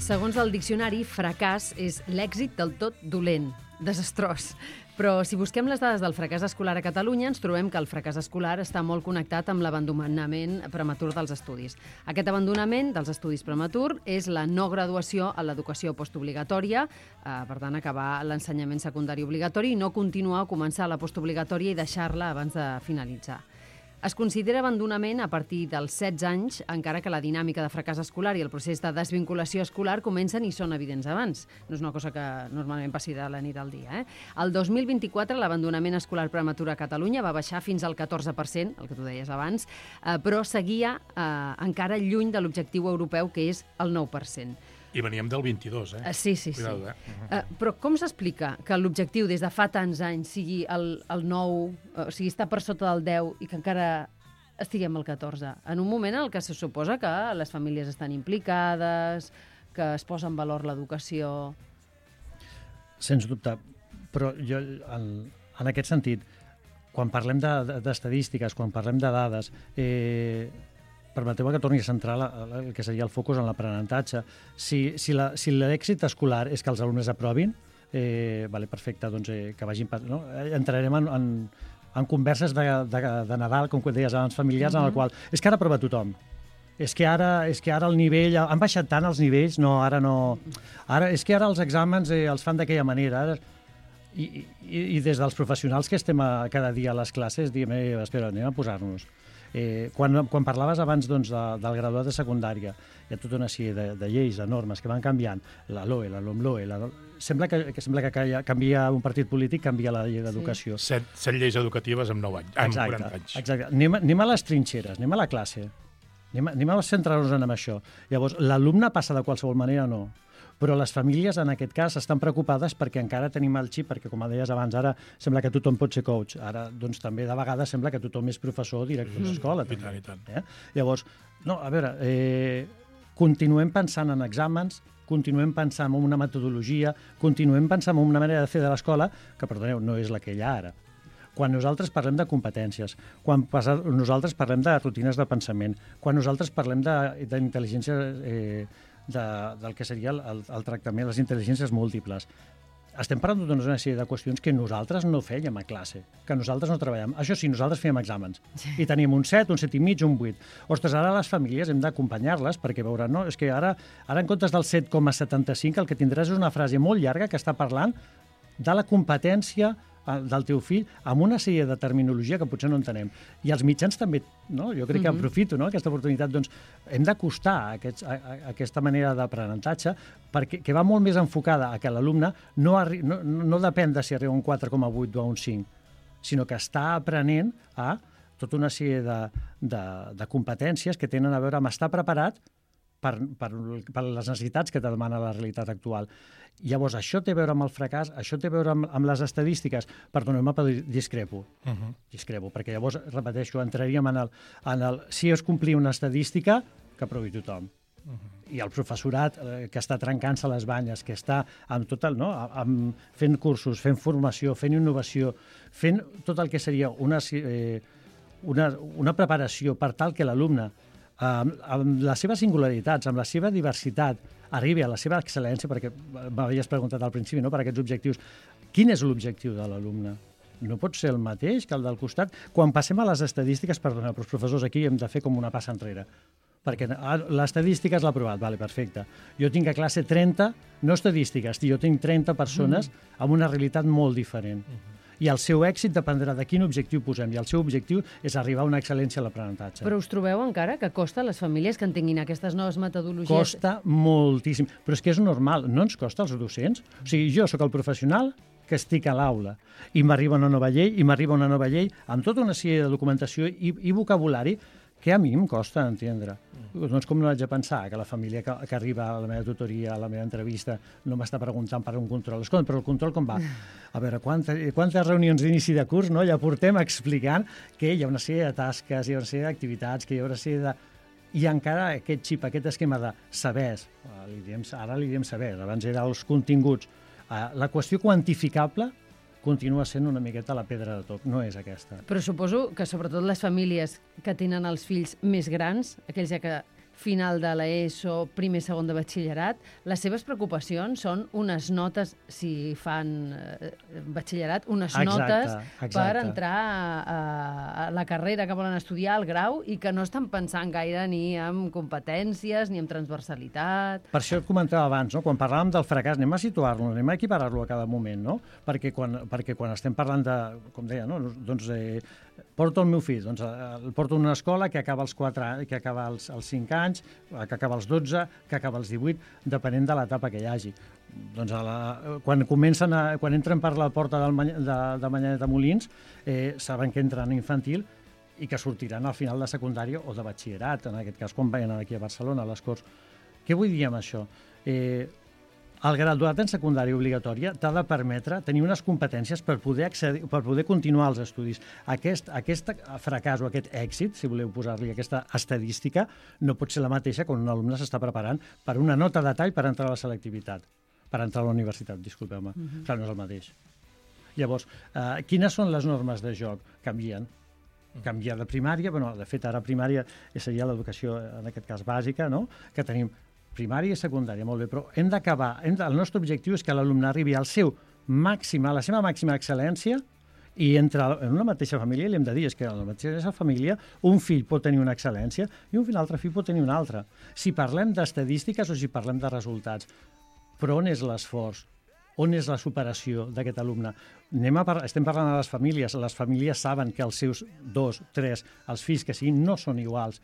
Segons el diccionari, fracàs és l'èxit del tot dolent, desastrós. Però si busquem les dades del fracàs escolar a Catalunya, ens trobem que el fracàs escolar està molt connectat amb l'abandonament prematur dels estudis. Aquest abandonament dels estudis prematur és la no graduació a l'educació postobligatòria, eh, per tant, acabar l'ensenyament secundari obligatori i no continuar o començar la postobligatòria i deixar-la abans de finalitzar. Es considera abandonament a partir dels setze anys, encara que la dinàmica de fracàs escolar i el procés de desvinculació escolar comencen i són evidents abans. No és una cosa que normalment passi de la nit al dia. Eh? El dos mil vint-i-quatre l'abandonament escolar prematur a Catalunya va baixar fins al catorze per cent, el que tu deies abans, eh, però seguia eh, encara lluny de l'objectiu europeu, que és el nou per cent. I veníem del vint-i-dos, eh? Sí, sí, sí. Cuidado, eh? Uh-huh. uh, però com s'explica que l'objectiu des de fa tants anys sigui el, el nou, o sigui, està per sota del deu i que encara estiguem al catorze? En un moment en el que se suposa que les famílies estan implicades, que es posa en valor l'educació... Sens dubte. Però jo, en, en aquest sentit, quan parlem d'estadístiques, de, de, quan parlem de dades... Eh, permeteu que torni a centrar la, el que seria el focus en l'aprenentatge. Si, si, la, si l'èxit escolar és que els alumnes aprovin, eh, vale, perfecte, doncs eh, que vagin... No? Entrarem en, en, en converses de, de, de Nadal, com deies abans, familiars, mm-hmm. en el qual... És que ara aprova tothom. És que ara, és que ara el nivell... Han baixat tant els nivells? No, ara no... Ara, és que ara els exàmens eh, els fan d'aquella manera. Ara... I, i, I des dels professionals que estem a, cada dia a les classes, diem, eh, espera, anem a posar-nos... Eh, quan, quan parlaves abans doncs, de, del graduat de secundària, hi ha tota una sèrie de, de lleis, de normes que van canviant, la LOE, la LOMLOE, la... Sembla que, que sembla que canvia un partit polític, canvia la llei d'educació. Sí. Set, set lleis educatives en nou anys, en quaranta anys. Exacte. Anem, anem a les trinxeres, anem a la classe, anem, anem a centrar-nos en això. Llavors, l'alumne passa de qualsevol manera, no. Però les famílies, en aquest cas, estan preocupades perquè encara tenim el xip, perquè, com deies abans, ara sembla que tothom pot ser coach. Ara, doncs, també de vegades sembla que tothom és professor o director mm. d'escola. I tant, i tant. Eh? Llavors, no, a veure, eh, continuem pensant en exàmens, continuem pensant en una metodologia, continuem pensant en una manera de fer de l'escola que, perdoneu, no és la que hi ha ara. Quan nosaltres parlem de competències, quan passa, nosaltres parlem de rutines de pensament, quan nosaltres parlem d'intel·ligència... Eh, De, del que seria el, el, el tractament, les intel·ligències múltiples. Estem parlant d'una sèrie de qüestions que nosaltres no fèiem a classe, que nosaltres no treballem. Això sí, nosaltres fèiem exàmens. Sí. I teníem un set, un set i mig, un vuit. Ostres, ara les famílies hem d'acompanyar-les perquè veuran, no? És que ara, ara en comptes del set coma setanta-cinc el que tindràs és una frase molt llarga que està parlant de la competència del teu fill amb una sèrie de terminologia que potser no entenem. I els mitjans també, no? Jo crec que mm-hmm. aprofito, no? Aquesta oportunitat. Doncs hem d'acostar a, aquests, a, a aquesta manera d'aprenentatge perquè que va molt més enfocada a que l'alumne no, arri, no, no depèn de si arriba a un quatre coma vuit o a un cinc, sinó que està aprenent a tota una sèrie de, de, de competències que tenen a veure amb estar preparat per, per, per les necessitats que te demana la realitat actual. Llavors, això té a veure amb el fracàs, això té a veure amb, amb les estadístiques. Perdoneu-me, però discrepo. Uh-huh. Discrepo, perquè llavors, repeteixo, entraríem en el, en el si es complir una estadística, que aprovi tothom. Uh-huh. I el professorat eh, que està trencant-se les banyes, que està amb tot el, no? amb, fent cursos, fent formació, fent innovació, fent tot el que seria una, eh, una, una preparació per tal que l'alumne amb, amb les seves singularitats, amb la seva diversitat, arribi a la seva excel·lència, perquè m'havies preguntat al principi, no?, per aquests objectius. Quin és l'objectiu de l'alumne? No pot ser el mateix que el del costat. Quan passem a les estadístiques, perdona, però els professors aquí hem de fer com una passa enrere. Perquè l'estadística és l'aprovat, vale, perfecte. Jo tinc a classe trenta, no estadístiques, jo tinc trenta persones mm. amb una realitat molt diferent. Mm-hmm. I el seu èxit dependrà de quin objectiu posem, i el seu objectiu és arribar a una excel·lència a l'aprenentatge. Però us trobeu encara que costa a les famílies que entenguin aquestes noves metodologies? Costa moltíssim, però és que és normal, no ens costa als docents. O sigui, jo sóc el professional que estic a l'aula i m'arriba una nova llei, i m'arriba una nova llei amb tota una sèrie de documentació i, i vocabulari que a mi em costa entendre. Mm. Doncs com no haig de pensar que la família que, que arriba a la meva tutoria, a la meva entrevista, no m'està preguntant per un control. Escolta, però el control com va? A veure, quantes, quantes reunions d'inici de curs, no? Ja portem explicant que hi ha una sèrie de tasques, hi ha una sèrie d'activitats, que hi ha una sèrie de... I encara aquest xip, aquest esquema de sabers, li diem, ara li diem sabers, abans era els continguts. La qüestió quantificable continua sent una miqueta la pedra de toc, no és aquesta. Però suposo que sobretot les famílies que tenen els fills més grans, aquells ja que final de l'ESO, primer, segon de batxillerat, les seves preocupacions són unes notes, si fan eh, batxillerat, unes exacte, notes exacte. per entrar a, a la carrera que volen estudiar, al grau, i que no estan pensant gaire ni en competències, ni en transversalitat... Per això et comentava abans, no? Quan parlàvem del fracàs, anem a situar-lo, anem a equiparar-lo a cada moment, no? Perquè quan, perquè quan estem parlant de, com deia, no? doncs eh, porto el meu fill, doncs el porto a una escola que acaba els quatre anys, que acaba els, els cinc anys, que acaba els dotze, que acaba els divuit, depenent de l'etapa que hi hagi. Doncs a la, quan comencen a, quan entren per la porta del, de, de Manyanet de Molins, eh, saben que entren a infantil i que sortiran al final de secundària o de batxillerat, en aquest cas, quan venen aquí a Barcelona, a les Corts. Què vull dir amb això? Eh, El graduat en secundària obligatòria t'ha de permetre tenir unes competències per poder, accedir, per poder continuar els estudis. Aquest, aquest fracàs o aquest èxit, si voleu posar-li aquesta estadística, no pot ser la mateixa quan un alumne s'està preparant per una nota de tall per entrar a la selectivitat, per entrar a la universitat, disculpeu-me. Uh-huh. Clar, no és el mateix. Llavors, eh, quines són les normes de joc? Canvien. Canviar de primària, bueno, de fet, ara primària seria l'educació, en aquest cas bàsica, no? Que tenim primària i secundària, molt bé, però hem d'acabar, el nostre objectiu és que l'alumne arribi al seu màxim, a la seva màxima excel·lència, i entre en una mateixa família li hem de dir és que en la mateixa família un fill pot tenir una excel·lència i un altre fill pot tenir una altra. Si parlem d'estadístiques o si parlem de resultats, però on és l'esforç? On és la superació d'aquest alumne? Anem a par- estem parlant de les famílies, les famílies saben que els seus dos, tres, els fills que siguin no són iguals.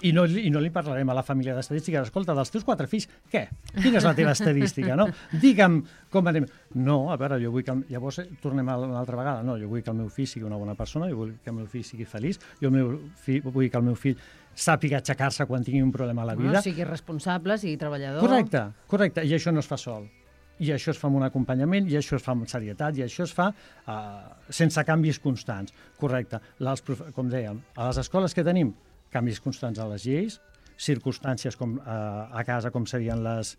I no, I no li parlarem a la família d'estadística. Escolta, dels teus quatre fills, què? Quina és la teva estadística, no? Digue'm com anem... No, a veure, jo vull que... Llavors tornem a una altra vegada. No, jo vull que el meu fill sigui una bona persona, jo vull que el meu fill sigui feliç, jo el meu fill, vull que el meu fill sàpiga aixecar-se quan tingui un problema a la vida. No, sigui responsable, sigui treballador... Correcte, correcte. I això no es fa sol. I això es fa amb un acompanyament, i això es fa amb serietat, i això es fa uh, sense canvis constants. Correcte. Les, com dèiem, a les escoles que tenim, canvis constants a les lleis, circumstàncies com, eh, a casa com serien les,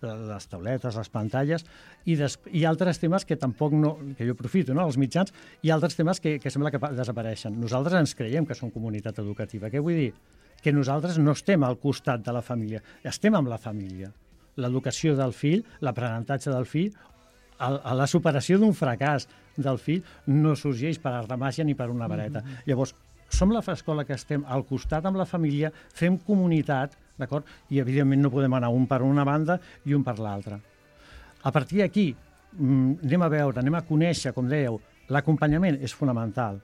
les tauletes, les pantalles, i, des, i altres temes que tampoc no, que jo aprofito, no?, els mitjans, i altres temes que, que sembla que desapareixen. Nosaltres ens creiem que som comunitat educativa. Què vull dir? Que nosaltres no estem al costat de la família, estem amb la família. L'educació del fill, l'aprenentatge del fill, el, la superació d'un fracàs del fill no sorgeix per art de màgia ni per una vareta. Mm-hmm. Llavors, som l'escola que estem al costat amb la família, fem comunitat, d'acord? I, evidentment, no podem anar un per una banda i un per l'altra. A partir d'aquí, anem a veure, anem a conèixer, com dèieu, l'acompanyament és fonamental,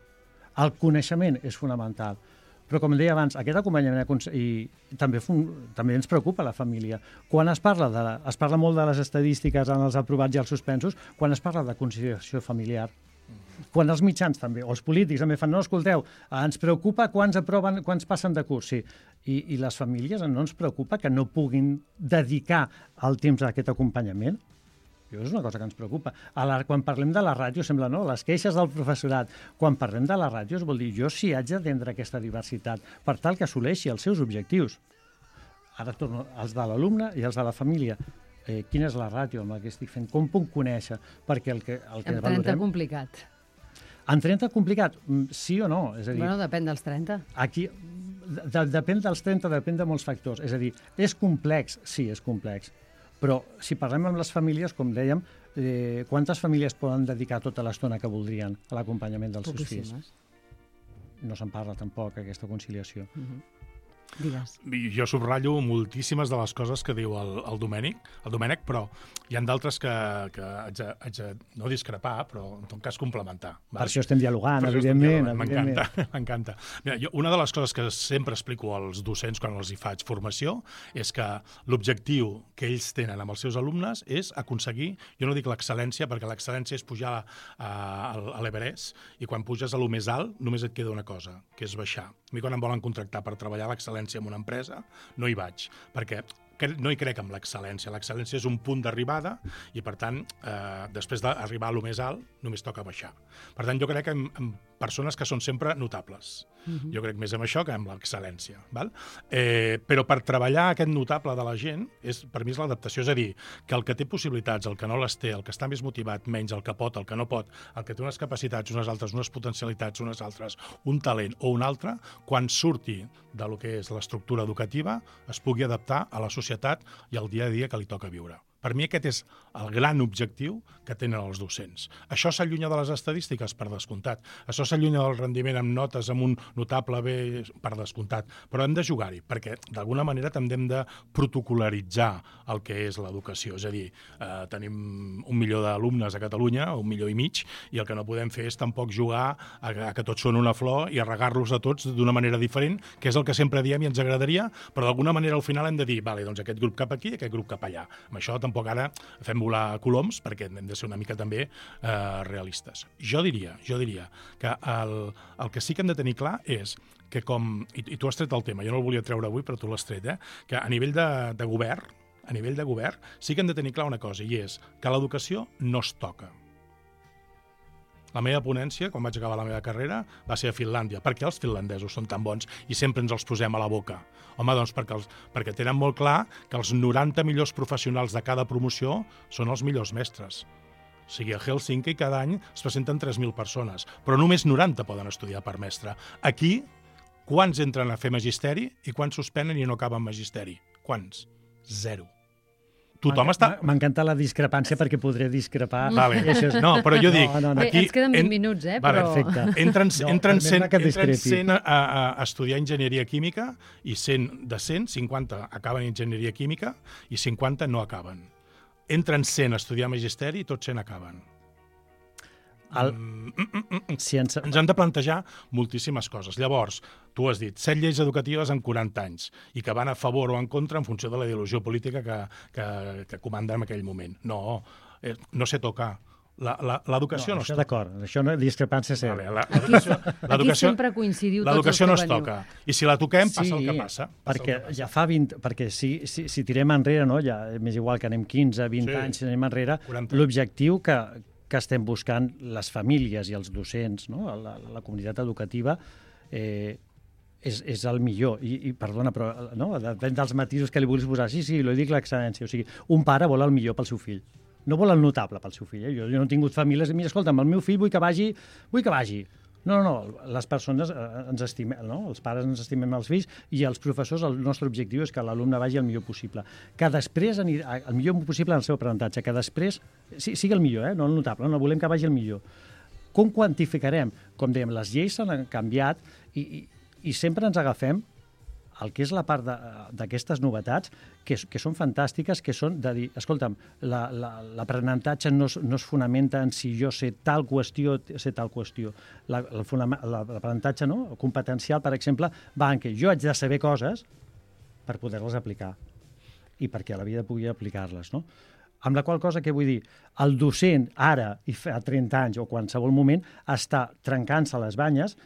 el coneixement és fonamental, però, com deia abans, aquest acompanyament i també, també ens preocupa la família. Quan es parla, de, es parla molt de les estadístiques en els aprovats i els suspensos, quan es parla de conciliació familiar, quan els mitjans també, o els polítics també fan, no, escolteu, ens preocupa quants aproven, quants passen de curs, sí. I, i les famílies no ens preocupa que no puguin dedicar el temps a aquest acompanyament? Això és una cosa que ens preocupa. A la, quan parlem de la ràdio, sembla, no?, les queixes del professorat. Quan parlem de la ràdio, vol dir, jo sí haig d'atendre aquesta diversitat per tal que assoleixi els seus objectius. Ara torno als de l'alumne i als de la família. Eh, quina és la ràdio amb la que estic fent? Com puc conèixer? Perquè el que, el que en trenta valorem... complicat. En trenta complicat? Sí o no? És a dir, bueno, depèn dels trenta. Aquí, de, depèn dels trenta, depèn de molts factors. És a dir, és complex? Sí, és complex. Però si parlem amb les famílies, com dèiem, eh, quantes famílies poden dedicar tota l'estona que voldrien a l'acompanyament dels seus fills? No se'n parla tampoc, aquesta conciliació. Uh-huh. Digues. Jo subratllo moltíssimes de les coses que diu el, el Domènec, el Domènec, però hi ha d'altres que, que haig, de, haig de no discrepar, però en tot cas complementar. Per això estem dialogant, evidentment. M'encanta, m'encanta. Mira, jo, una de les coses que sempre explico als docents quan els hi faig formació és que l'objectiu que ells tenen amb els seus alumnes és aconseguir, jo no dic l'excel·lència, perquè l'excel·lència és pujar a, a, a l'Everest, i quan puges a lo més alt només et queda una cosa, que és baixar. A mi quan em volen contractar per treballar l'excel·lència en una empresa, no hi vaig, perquè no hi crec en l'excel·lència. L'excel·lència és un punt d'arribada i, per tant, eh, després d'arribar a lo més alt, només toca baixar. Per tant, jo crec en, en persones que són sempre notables. Uh-huh. Jo crec més en això que en l'excel·lència. Val? Eh, però per treballar aquest notable de la gent, és, per mi és l'adaptació. És a dir, que el que té possibilitats, el que no les té, el que està més motivat, menys, el que pot, el que no pot, el que té unes capacitats, unes altres, unes potencialitats, unes altres, un talent o un altre, quan surti de lo que és l'estructura educativa, es pugui adaptar a la societat i al dia a dia que li toca viure. Per mi aquest és el gran objectiu que tenen els docents. Això s'allunya de les estadístiques, per descomptat. Això s'allunya del rendiment amb notes, amb un notable bé, per descomptat. Però hem de jugar-hi, perquè d'alguna manera també hem de protocolaritzar el que és l'educació. És a dir, eh, tenim un milió d'alumnes a Catalunya, un milió i mig, i el que no podem fer és tampoc jugar a, a que tots són una flor i a regar-los a tots d'una manera diferent, que és el que sempre diem i ens agradaria, però d'alguna manera al final hem de dir, vale, doncs aquest grup cap aquí i aquest grup cap allà. Amb això tampoc ara fem volar coloms, perquè hem de ser una mica també eh, realistes. Jo diria, jo diria que el, el que sí que hem de tenir clar és que com, i, i tu has tret el tema, jo no el volia treure avui, però tu l'has tret, eh, que a nivell de, de govern, a nivell de govern, sí que hem de tenir clar una cosa, i és que l'educació no es toca. La meva ponència, quan vaig acabar la meva carrera, va ser a Finlàndia. Per què els finlandesos són tan bons i sempre ens els posem a la boca? Home, doncs perquè, els, perquè tenen molt clar que els noranta millors professionals de cada promoció són els millors mestres. O sigui, a Helsinki cada any es presenten tres mil persones, però només noranta poden estudiar per mestre. Aquí, quants entren a fer magisteri i quants suspenen i no acaben magisteri? Quants? Zero. Tothom està... M'encanta la discrepància perquè podré discrepar. Vale. Això és... No, però jo dic... No, no, no. Aquí, Bé, ens queden vint en... minuts, eh? Vale, però... perfecte. Entren, no, entren, cent, entren cent a, a, a estudiar enginyeria química i cent de cent, cinquanta acaben enginyeria química i cinquanta no acaben. Entren cent a estudiar magisteri i tots cent acaben. El... Mm, mm, mm, mm. Ciència... Ens hem de plantejar moltíssimes coses. Llavors, tu has dit, set lleis educatives en quaranta anys i que van a favor o en contra en funció de la ideologia política que, que, que comanda en aquell moment. No, eh, no sé tocar. L'educació no, no es toca. D'acord, això no discrepància ser. Vale, l'educació aquí sempre coincidiu tots els que L'educació no es toca. I si la toquem, passa sí, el que passa. passa perquè que passa. ja fa vint... Perquè si, si, si tirem enrere, no? Ja, és igual que anem quinze, vint sí. anys, si anem enrere, l'objectiu que, que estem buscant les famílies i els docents, no? la, la comunitat educativa, eh, és, és el millor. I, i perdona, però no? Depèn dels matisos que li vulguis posar. Sí, sí, lo dic l'excel·lència. O sigui, un pare vol el millor pel seu fill. No vol el notable pel seu fill. Eh? Jo, jo no he tingut famílies... Mira, escolta'm, el meu fill vull que vagi... Vull que vagi. No, no, no. Les persones eh, ens estimem, no? Els pares ens estimem els fills i els professors, el nostre objectiu és que l'alumne vagi el millor possible. Que després, anirà, el millor possible en el seu aprenentatge, que després sí, sigui el millor, eh? No el notable, no volem que vagi el millor. Com quantificarem? Com dèiem, les lleis s'han canviat i, i, i sempre ens agafem el que és la part d'aquestes novetats, que, que són fantàstiques, que són de dir, escolta'm, l'aprenentatge no, no es fonamenta en si jo sé tal qüestió, sé tal qüestió. L'aprenentatge no? competencial, per exemple, va en què jo haig de saber coses per poder-les aplicar i perquè a la vida pugui aplicar-les, no? Amb la qual cosa, què vull dir? El docent, ara, i fa trenta anys o qualsevol moment, està trencant-se les banyes.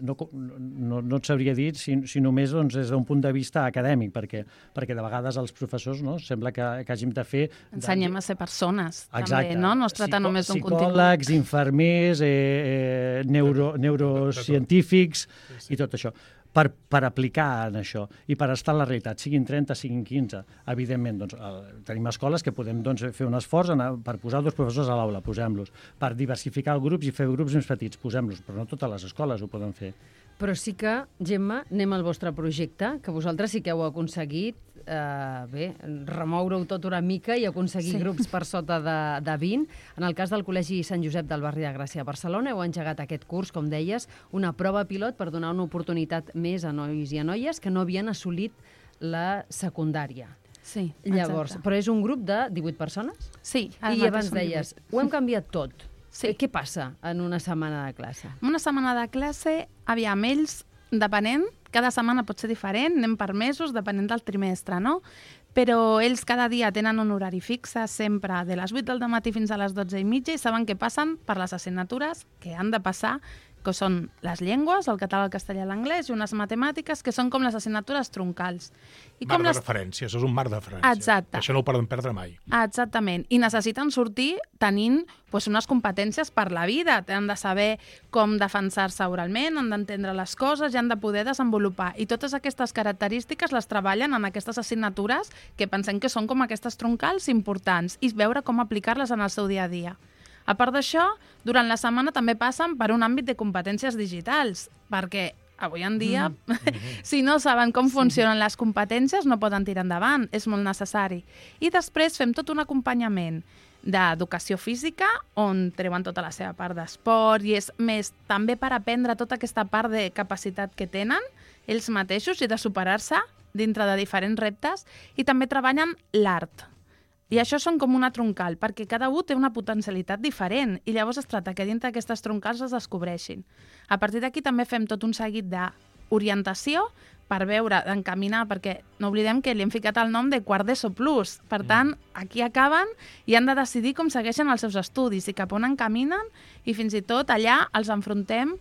No, no, no et sabria dir si, si només doncs, des d'un punt de vista acadèmic, perquè, perquè de vegades els professors no, sembla que, que hàgim de fer... Ensenyem a ser persones, exacte. També, no? No es tracta Psico només d'un contingut. Psicòlegs, infermers, eh, eh, neuro, neurocientífics i tot això. Per, per aplicar en això i per estar en la realitat, siguin trenta, siguin quinze. Evidentment, doncs, el, tenim escoles que podem doncs, fer un esforç en, per posar dos professors a l'aula, posem-los. Per diversificar els grups i fer grups més petits, posem-los. Però no totes les escoles ho poden fer. Però sí que, Gemma, anem al vostre projecte, que vosaltres sí que heu aconseguit eh, bé, remoure-ho tot una mica i aconseguir Sí. grups per sota de, de vint. En el cas del Col·legi Sant Josep del barri de Gràcia a Barcelona heu engegat aquest curs, com deies, una prova pilot per donar una oportunitat més a nois i a noies que no havien assolit la secundària. Sí, Llavors, exacte. però és un grup de divuit persones? Sí, ara I mateix abans som deies, divuit. ho hem canviat tot. Sí. Eh, Què passa en una setmana de classe? Una setmana de classe, aviam, ells, depenent, cada setmana pot ser diferent, anem per mesos, depenent del trimestre, no? Però ells cada dia tenen un horari fixe, sempre de les vuit del matí fins a les dotze i mitja, i saben que passen per les assignatures que han de passar, que són les llengües, el català, el castellà i l'anglès, i unes matemàtiques, que són com les assignatures troncals. I Marc com de les... referència, això és un marc de referència. Exacte. Això no ho poden perdre mai. Exactament. I necessiten sortir tenint pues, unes competències per la vida. Han de saber com defensar-se oralment, han d'entendre les coses i han de poder desenvolupar. I totes aquestes característiques les treballen en aquestes assignatures que pensem que són com aquestes troncals importants i veure com aplicar-les en el seu dia a dia. A part d'això, durant la setmana també passen per un àmbit de competències digitals, perquè avui en dia, mm. si no saben com funcionen les competències, no poden tirar endavant, és molt necessari. I després fem tot un acompanyament d'educació física, on treuen tota la seva part d'esport, i és més també per aprendre tota aquesta part de capacitat que tenen ells mateixos i de superar-se dintre de diferents reptes, i també treballen l'art. I això són com una troncal, perquè cada un té una potencialitat diferent i llavors es tracta que dintre d'aquestes troncals es descobreixin. A partir d'aquí també fem tot un seguit d'orientació per veure, d'encaminar, perquè no oblidem que li hem ficat el nom de quart d'ESO plus. Per tant, aquí acaben i han de decidir com segueixen els seus estudis i cap on encaminen, i fins i tot allà els enfrontem.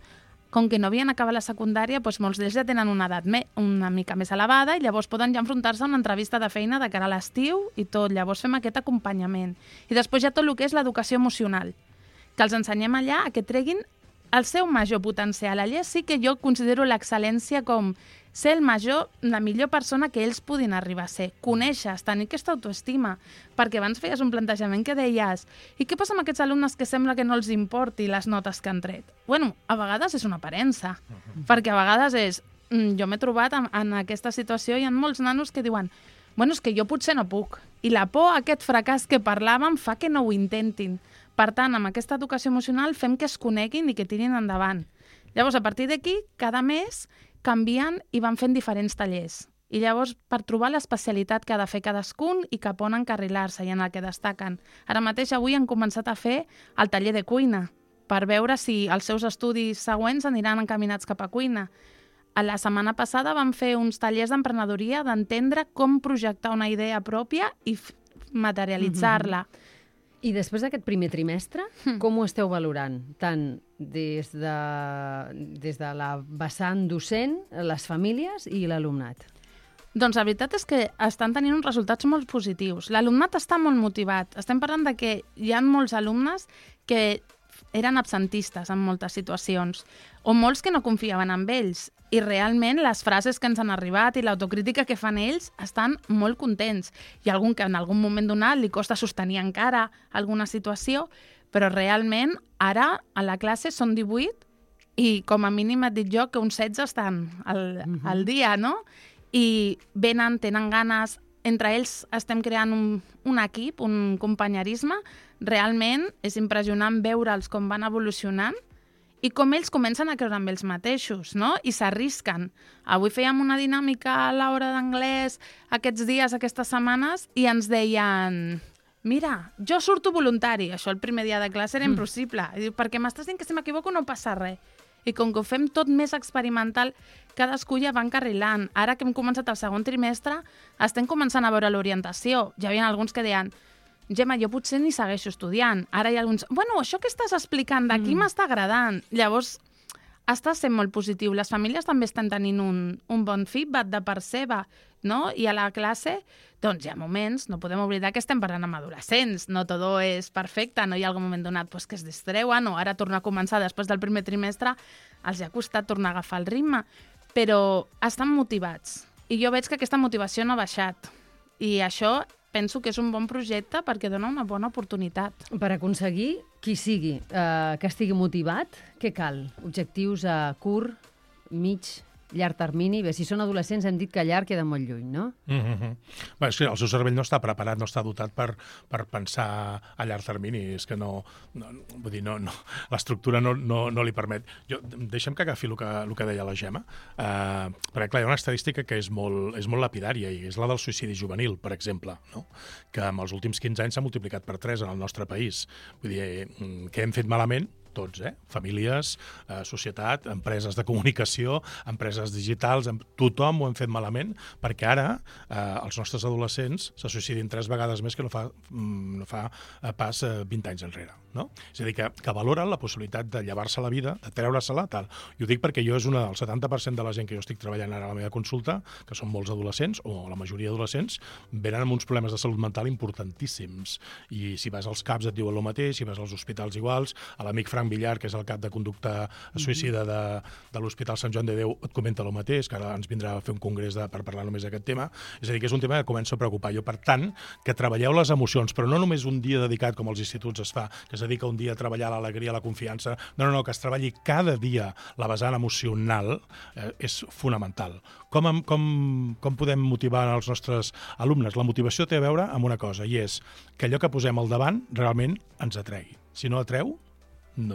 Com que no havien acabat la secundària, doncs molts d'ells ja tenen una edat me una mica més elevada i llavors poden ja enfrontar-se a una entrevista de feina de cara a l'estiu i tot. Llavors fem aquest acompanyament. I després hi ha tot el que és l'educació emocional, que els ensenyem allà a que treguin el seu major potencial. Allà sí que jo considero l'excel·lència com ser el major, la millor persona que ells puguin arribar a ser. Conèixer, tenir aquesta autoestima. Perquè abans feies un plantejament que deies i què passa amb aquests alumnes que sembla que no els importi les notes que han tret? Bueno, a vegades és una aparença. Uh-huh. Perquè a vegades és... Jo m'he trobat en, en aquesta situació i hi ha molts nanos que diuen bueno, és que jo potser no puc. I la por a aquest fracàs que parlàvem fa que no ho intentin. Per tant, amb aquesta educació emocional fem que es coneguin i que tirin endavant. Llavors, a partir d'aquí, cada mes canvien i van fent diferents tallers. I llavors, per trobar l'especialitat que ha de fer cadascun i cap on encarrilar-se i en el que destaquen. Ara mateix, avui han començat a fer el taller de cuina, per veure si els seus estudis següents aniran encaminats cap a cuina. A la setmana passada vam fer uns tallers d'emprenedoria, d'entendre com projectar una idea pròpia i materialitzar-la. Mm-hmm. I després d'aquest primer trimestre, mm. com ho esteu valorant? Tant des de, des de la vessant docent, les famílies i l'alumnat? Doncs la veritat és que estan tenint uns resultats molt positius. L'alumnat està molt motivat. Estem parlant de que hi ha molts alumnes que eren absentistes en moltes situacions, o molts que no confiaven en ells. I realment les frases que ens han arribat i l'autocrítica que fan ells estan molt contents. Hi ha algun que en algun moment donat li costa sostenir encara alguna situació, però realment ara a la classe són divuit i com a mínim et dic jo que uns setze estan al, uh-huh. al dia, no? I venen, tenen ganes, entre ells estem creant un, un equip, un companyerisme. Realment és impressionant veure'ls com van evolucionant i com ells comencen a creure en ells mateixos, no? I s'arrisquen. Avui fèiem una dinàmica a l'hora d'anglès aquests dies, aquestes setmanes, i ens deien mira, jo surto voluntari. Això el primer dia de classe era impossible. I diu, perquè m'estàs dient que si m'equivoco no passa res. I com que ho fem tot més experimental, cadascú ja va encarrilant. Ara que hem començat el segon trimestre, estem començant a veure l'orientació. Ja hi havia alguns que deien Gemma, jo potser ni segueixo estudiant. Ara hi ha alguns... Bueno, això que estàs explicant d'aquí mm. m'està agradant. Llavors, està sent molt positiu. Les famílies també estan tenint un, un bon feedback de part seva, no? I a la classe, doncs hi ha moments, no podem oblidar que estem parlant amb adolescents, no tot és perfecte, no hi ha algun moment donat pues, que es distreuen, o ara tornar a començar després del primer trimestre, els ha costat tornar a agafar el ritme, però estan motivats. I jo veig que aquesta motivació no ha baixat. I això penso que és un bon projecte perquè dona una bona oportunitat. Per aconseguir qui sigui, eh, que estigui motivat, què cal? Objectius a curt, mig, llarg termini. Bé, si són adolescents hem dit que llarg queda molt lluny, no? Mm-hmm. Bé, és que el seu cervell no està preparat, no està dotat per, per pensar a llarg termini. És que no... no vull dir, no, no, l'estructura no, no, no li permet. Jo, deixem que agafi el que, el que deia la Gemma, eh, perquè, clar, hi ha una estadística que és molt, és molt lapidària, i és la del suïcidi juvenil, per exemple, no? Que en els últims quinze anys s'ha multiplicat per tres en el nostre país. Vull dir, què hem fet malament? Tots, eh? Famílies, eh, societat, empreses de comunicació, empreses digitals, em... tothom ho hem fet malament, perquè ara eh, els nostres adolescents se suïcidin tres vegades més que no fa, no fa eh, pas eh, vint anys enrere. No? És a dir, que, que valoren la possibilitat de llevar-se la vida, de treure-se-la, tal. I ho dic perquè jo és una del setanta per cent de la gent que jo estic treballant ara a la meva consulta, que són molts adolescents, o la majoria d'adolescents, venen amb uns problemes de salut mental importantíssims. I si vas als CAPs et diuen el mateix, si vas als hospitals iguals, a l'amic Frank Villar, que és el cap de conducta suïcida de, de l'Hospital Sant Joan de Déu, et comenta el mateix, que ara ens vindrà a fer un congrés de, per parlar només d'aquest tema. És a dir, que és un tema que comença a preocupar. Jo, per tant, que treballeu les emocions, però no només un dia dedicat, com als instituts es fa, que es dedica un dia a treballar l'alegria, la confiança. No, no, no, que es treballi cada dia la vessant emocional eh, és fonamental. Com, com, com podem motivar els nostres alumnes? La motivació té a veure amb una cosa, i és que allò que posem al davant realment ens atregui. Si no atreu, No,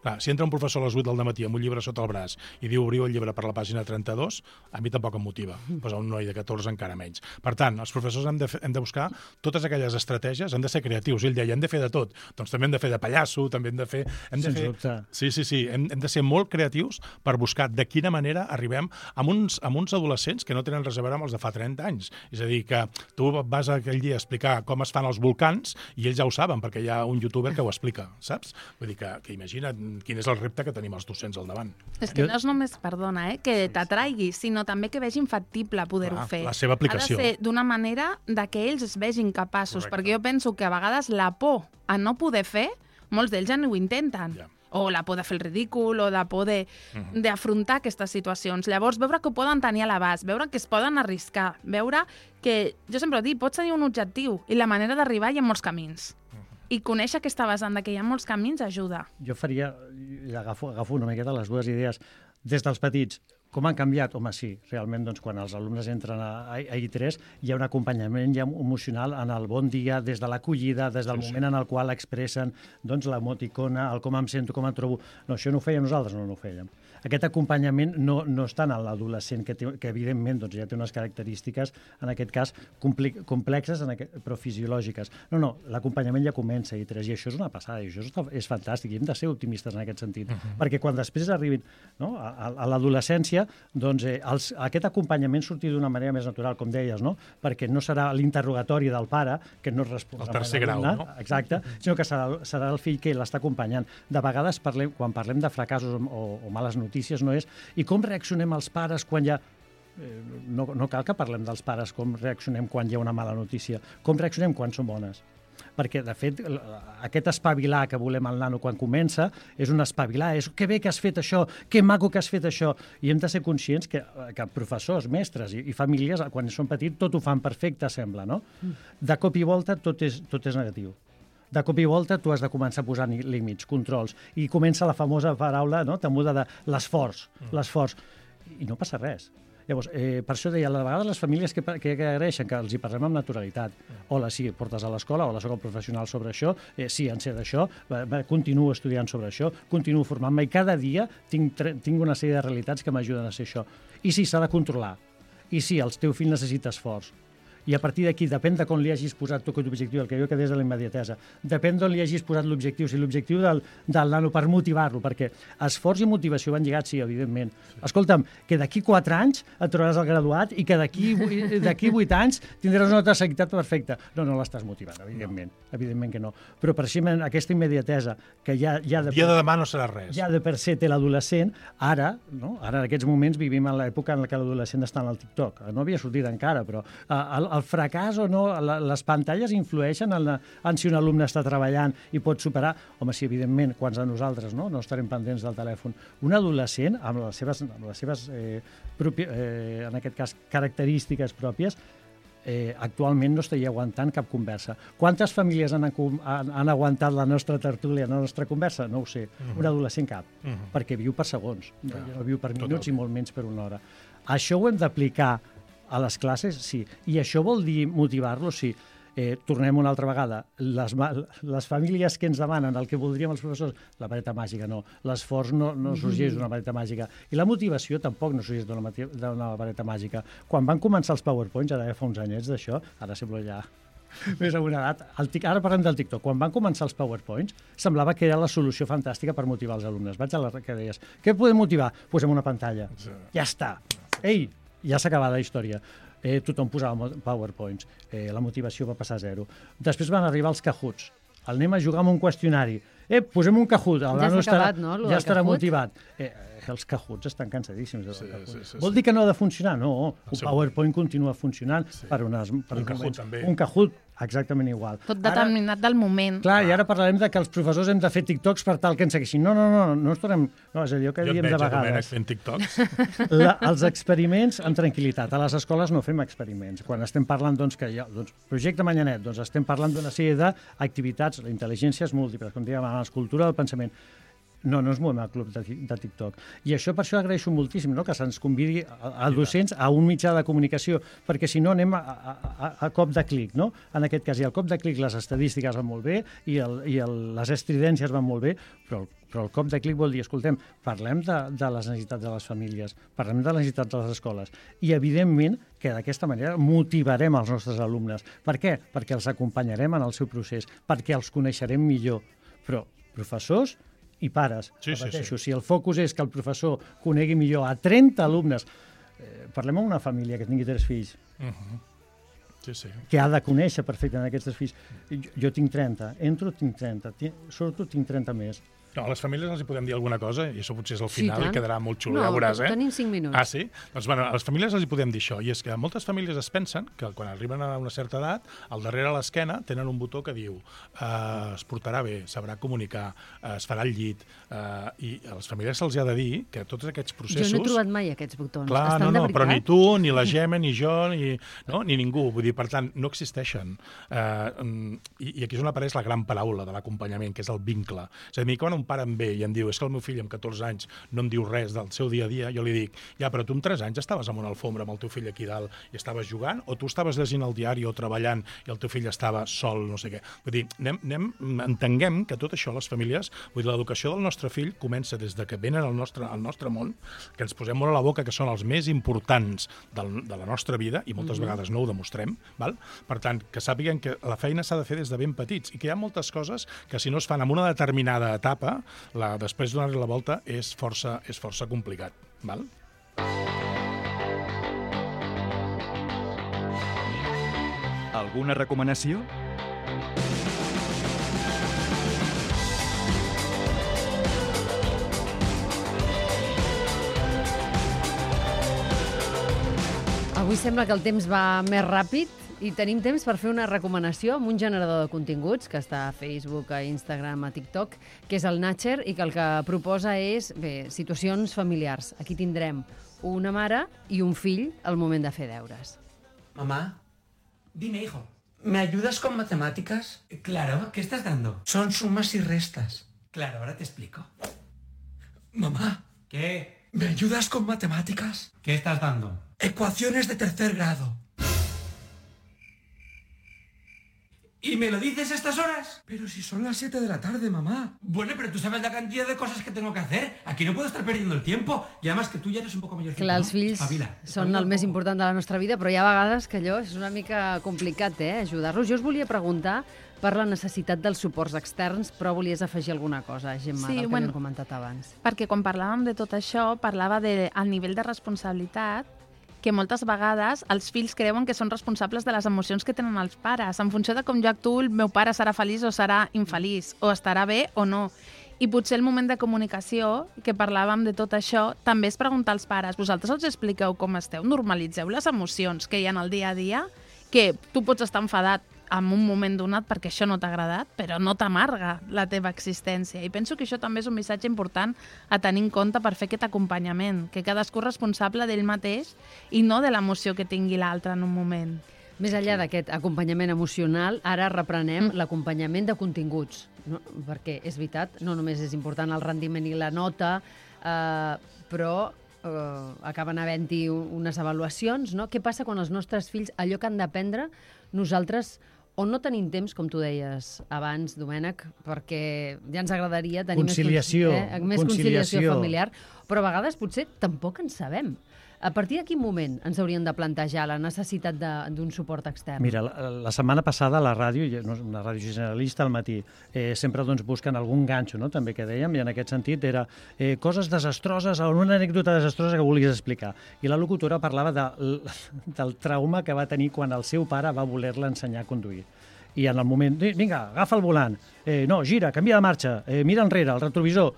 clar, si entra un professor a les vuit del dematí amb un llibre sota el braç i diu obriu el llibre per la pàgina trenta-dos, a mi tampoc em motiva, però a un noi de catorze encara menys. Per tant, els professors hem de, fer, hem de buscar totes aquelles estratègies, hem de ser creatius. Ell deia, hem de fer de tot. Doncs també hem de fer de pallasso, també hem de fer... Hem de fer... Sí, sí, sí. Hem, hem de ser molt creatius per buscar de quina manera arribem amb uns, amb uns adolescents que no tenen res a veure amb els de fa trenta anys. És a dir, que tu vas aquell dia a explicar com es fan els volcans i ells ja ho saben, perquè hi ha un youtuber que ho explica, saps? Vull dir que que imagina't quin és el repte que tenim els docents al davant. És que no és només, perdona, eh, que t'atraigui, sinó també que vegin factible poder-ho fer. La seva aplicació. Ha de ser d'una manera de que ells es vegin capaços, Correcte. Perquè jo penso que a vegades la por a no poder fer, molts d'ells ja no ho intenten. Ja. O la por de fer el ridícul, o la por d'afrontar uh-huh. aquestes situacions. Llavors, veure que ho poden tenir a l'abast, veure que es poden arriscar, veure que, jo sempre dic, pots tenir un objectiu i la manera d'arribar hi ha molts camins. I conèixer aquesta vessant que hi ha molts camins ajuda. Jo faria, agafo, agafo una miqueta les dues idees, des dels petits, com han canviat? Home, sí, realment, doncs, quan els alumnes entren a, a I tres hi ha un acompanyament ja emocional en el bon dia, des de l'acollida, des del sí, moment sí. en el qual expressen doncs, l'emoticona, el com em sento, com em trobo. No, això no ho fèiem nosaltres, no, no ho fèiem. Aquest acompanyament no, no està en l'adolescent, que, té, que evidentment doncs, ja té unes característiques, en aquest cas, complexes, en aquest, però fisiològiques. No, no, l'acompanyament ja comença a I tres, i això és una passada, i això és, és fantàstic, i hem de ser optimistes en aquest sentit, uh-huh. perquè quan després arribin no, a, a, a l'adolescència, doncs eh, els, aquest acompanyament surti d'una manera més natural, com deies, no? Perquè no serà l'interrogatori del pare, que no respondrà... El tercer grau, no? Exacte, sinó que serà, serà el fill que l'està acompanyant. De vegades, parlem, quan parlem de fracassos o, o males notícies, no és i com reaccionem els pares quan hi ha... Eh, no, no cal que parlem dels pares com reaccionem quan hi ha una mala notícia, com reaccionem quan són bones. Perquè, de fet, aquest espavilar que volem al nano quan comença és un espavilar, és que bé que has fet això, que maco que has fet això. I hem de ser conscients que, que professors, mestres i, i famílies, quan són petits, tot ho fan perfecte, sembla, no? De cop i volta tot és, tot és negatiu. De cop i volta tu has de començar a posar límits, controls, i comença la famosa paraula no, temuda de l'esforç, l'esforç, i no passa res. Llavors, eh, per això deia, a vegades les famílies que, que, que agraeixen que els hi parlem amb naturalitat. Hola, sí, portes a l'escola, hola, soc el professional sobre això, eh, sí, en sé d'això, continuo estudiant sobre això, continuo formant-me, i cada dia tinc, tinc una sèrie de realitats que m'ajuden a ser això. I sí, s'ha de controlar. I sí, el teu fill necessita esforç. I a partir d'aquí, depèn de com li hagis posat tu aquest objectiu, el que jo que des de la immediatesa, depèn d'on li hagis posat l'objectiu, si l'objectiu del, del nano per motivar-lo, perquè esforç i motivació van lligats, sí, evidentment. Escolta'm, que d'aquí quatre anys et trobaràs el graduat i que d'aquí vuit anys tindràs una altra seguitat perfecta. No, no l'estàs motivant, evidentment, no. evidentment que no. Però per això aquesta immediatesa, que ja, ja de, dia de demà no serà res. Ja de per se té l'adolescent, ara, no? Ara en aquests moments vivim en l'època en què l'adolescent està en el TikTok. No havia sortit encara, però el, el fracàs o no, les pantalles influeixen en, la, en si un alumne està treballant i pot superar. Home, sí, evidentment, quants de nosaltres no, no estarem pendents del telèfon. Un adolescent, amb les seves, amb les seves eh, propi, eh, en aquest cas, característiques pròpies, eh, actualment no estaria aguantant cap conversa. Quantes famílies han, han, han aguantat la nostra tertúlia, la nostra conversa? No ho sé. Uh-huh. Un adolescent cap, uh-huh. perquè viu per segons, no, no viu per minuts Total. I molt menys per una hora. Això ho hem d'aplicar a les classes? Sí. I això vol dir motivar-los? Sí. Eh, tornem una altra vegada. Les, les famílies que ens demanen el que voldríem els professors, la vareta màgica no. L'esforç no, no sorgeix d'una vareta màgica. I la motivació tampoc no sorgeix d'una vareta màgica. Quan van començar els PowerPoints, ara fa uns anyets d'això, ara sembla ja més a una edat, el, ara parlem del TikTok, quan van començar els PowerPoints, semblava que era la solució fantàstica per motivar els alumnes. Vaig a la que deies, què podem motivar? Posem una pantalla. Ja està. Ei, ja s'ha acabat la història. Eh, tothom posava PowerPoints, eh, la motivació va passar a zero. Després van arribar els Cahoots. El anem a jugar amb un qüestionari. Eh, posem un Kahoot. Ja s'ha acabat, no? Ja estarà motivat. Eh, els Cahoots estan cansadíssims. Sí, sí, sí, Vol dir que no ha de funcionar? No, un PowerPoint continua funcionant sí. per unes... Per un Kahoot també. Un Kahoot, exactament igual. Tot determinat ara, del moment. Clar, i ara parlarem de que els professors hem de fer TikToks per tal que ens segueixin. No, no, no, no ens tornem... No, és allò que jo diem de vegades. Jo et veig a Domènec fent TikToks. La, els experiments amb tranquil·litat. A les escoles no fem experiments. Quan estem parlant, doncs, que hi ha doncs, projecte Manyanet, doncs estem parlant d'una sèrie d'activitats, la intel·ligència és múltiple, com dèiem abans, cultura del pensament. No, no ens movem al club de, de TikTok. I això per això agraeixo moltíssim, no?, que se'ns convidi a, a docents a un mitjà de comunicació, perquè si no anem a, a, a cop de clic, no? En aquest cas, i al cop de clic les estadístiques van molt bé i, el, i el, les estridències van molt bé, però el, però el cop de clic vol dir, escoltem, parlem de, de les necessitats de les famílies, parlem de les necessitats de les escoles, i evidentment que d'aquesta manera motivarem els nostres alumnes. Per què? Perquè els acompanyarem en el seu procés, perquè els coneixerem millor. Però professors i pares, sí, repeteixo, sí, sí. si el focus és que el professor conegui millor a trenta alumnes, eh, parlem amb una família que tingui tres fills, uh-huh. sí, sí. que ha de conèixer perfectament aquests tres fills. Jo, jo tinc trenta, entro, tinc trenta, surto, tinc trenta més. No, a les famílies els hi podem dir alguna cosa, i això potser és el final, sí, i quedarà molt xulo, no, ja veuràs, eh? tenim cinc minuts. Ah, sí? Doncs, bueno, a les famílies els hi podem dir això, i és que moltes famílies es pensen que quan arriben a una certa edat, al darrere a l'esquena tenen un botó que diu eh, es portarà bé, sabrà comunicar, eh, es farà el llit, eh, i a les famílies se'ls ha de dir que tots aquests processos... Jo no he trobat mai aquests botons. Clar, Estan no, de no, veritat? però ni tu, ni la Gemma, ni jo, ni, no, ni ningú. Vull dir, per tant, no existeixen. Eh, i, I aquí és on apareix la gran paraula de l'acompanyament, que és el vincle. És a dir, quan un pare em ve i em diu és que el meu fill amb catorze anys no em diu res del seu dia a dia, jo li dic, ja, però tu amb tres anys estaves en una alfombra amb el teu fill aquí dalt i estaves jugant, o tu estaves llegint el diari o treballant i el teu fill estava sol, no sé què. Vull dir, anem, anem, entenguem que tot això, les famílies, vull dir, l'educació del nostre fill comença des de que venen al nostre, al nostre món, que ens posem molt a la boca que són els més importants del, de la nostra vida, i moltes mm-hmm. vegades no ho demostrem, val? Per tant, que sàpiguen que la feina s'ha de fer des de ben petits i que hi ha moltes coses que si no es fan en una determinada etapa, la, després donar la volta és força, és força complicat. Val? Alguna recomanació? Avui sembla que el temps va més ràpid i tenim temps per fer una recomanació amb un generador de continguts que està a Facebook, a Instagram, a TikTok, que és el Natcher, i que el que proposa és, bé, situacions familiars. Aquí tindrem una mare i un fill al moment de fer deures. Mamá, dime, hijo, ¿me ayudas con matemáticas? Claro, ¿qué estás dando? Son sumas y restas. Claro, ahora te explico. Mamá. ¿Qué? ¿Me ayudas con matemáticas? ¿Qué estás dando? Ecuaciones de tercer grado. ¿Y me lo dices a estas horas? Pero si son las siete de la tarde, mamá. Bueno, pero tú sabes la cantidad de cosas que tengo que hacer. Aquí no puedo estar perdiendo el tiempo. Y además que tú ya eres un poco mayor. Clar, els fills Espavila, són espavila el més important de la nostra vida, però hi ha vegades que allò és una mica complicat, eh, ajudar-los. Jo us volia preguntar per la necessitat dels suports externs, però volies afegir alguna cosa, Gemma, Sí, del que bueno, havíem comentat abans. Perquè quan parlàvem de tot això, parlava del nivell de responsabilitat que moltes vegades els fills creuen que són responsables de les emocions que tenen els pares. En funció de com jo actuo, el meu pare serà feliç o serà infeliç, o estarà bé o no. I potser el moment de comunicació, que parlàvem de tot això, també és preguntar als pares, vosaltres els expliqueu com esteu, normalitzeu les emocions que hi ha en el dia a dia, que tu pots estar enfadat en un moment donat perquè això no t'ha agradat, però no t'amarga la teva existència. I penso que això també és un missatge important a tenir en compte per fer aquest acompanyament, que cadascú és responsable d'ell mateix i no de l'emoció que tingui l'altre en un moment. Més enllà d'aquest acompanyament emocional, ara reprenem mm. l'acompanyament de continguts, no? Perquè és veritat, no només és important el rendiment i la nota, eh, però eh, acaben havent-hi unes avaluacions, no? Què passa quan els nostres fills, allò que han d'aprendre, nosaltres o no tenim temps, com tu deies abans, Domènec, perquè ja ens agradaria tenir conciliació, més, eh, més conciliació. conciliació familiar, però a vegades potser tampoc en sabem. A partir de quin moment ens hauríem de plantejar la necessitat d'un suport extern? Mira, la, la setmana passada a la ràdio, una ràdio generalista al matí, eh, sempre doncs, busquen algun ganxo, no? També que dèiem, i en aquest sentit era eh, coses desastroses, una anècdota desastrosa que volies explicar. I la locutora parlava de, del trauma que va tenir quan el seu pare va voler-la ensenyar a conduir. I en el moment, vinga, agafa el volant, eh, no, gira, canvia de marxa, eh, mira enrere, el retrovisor.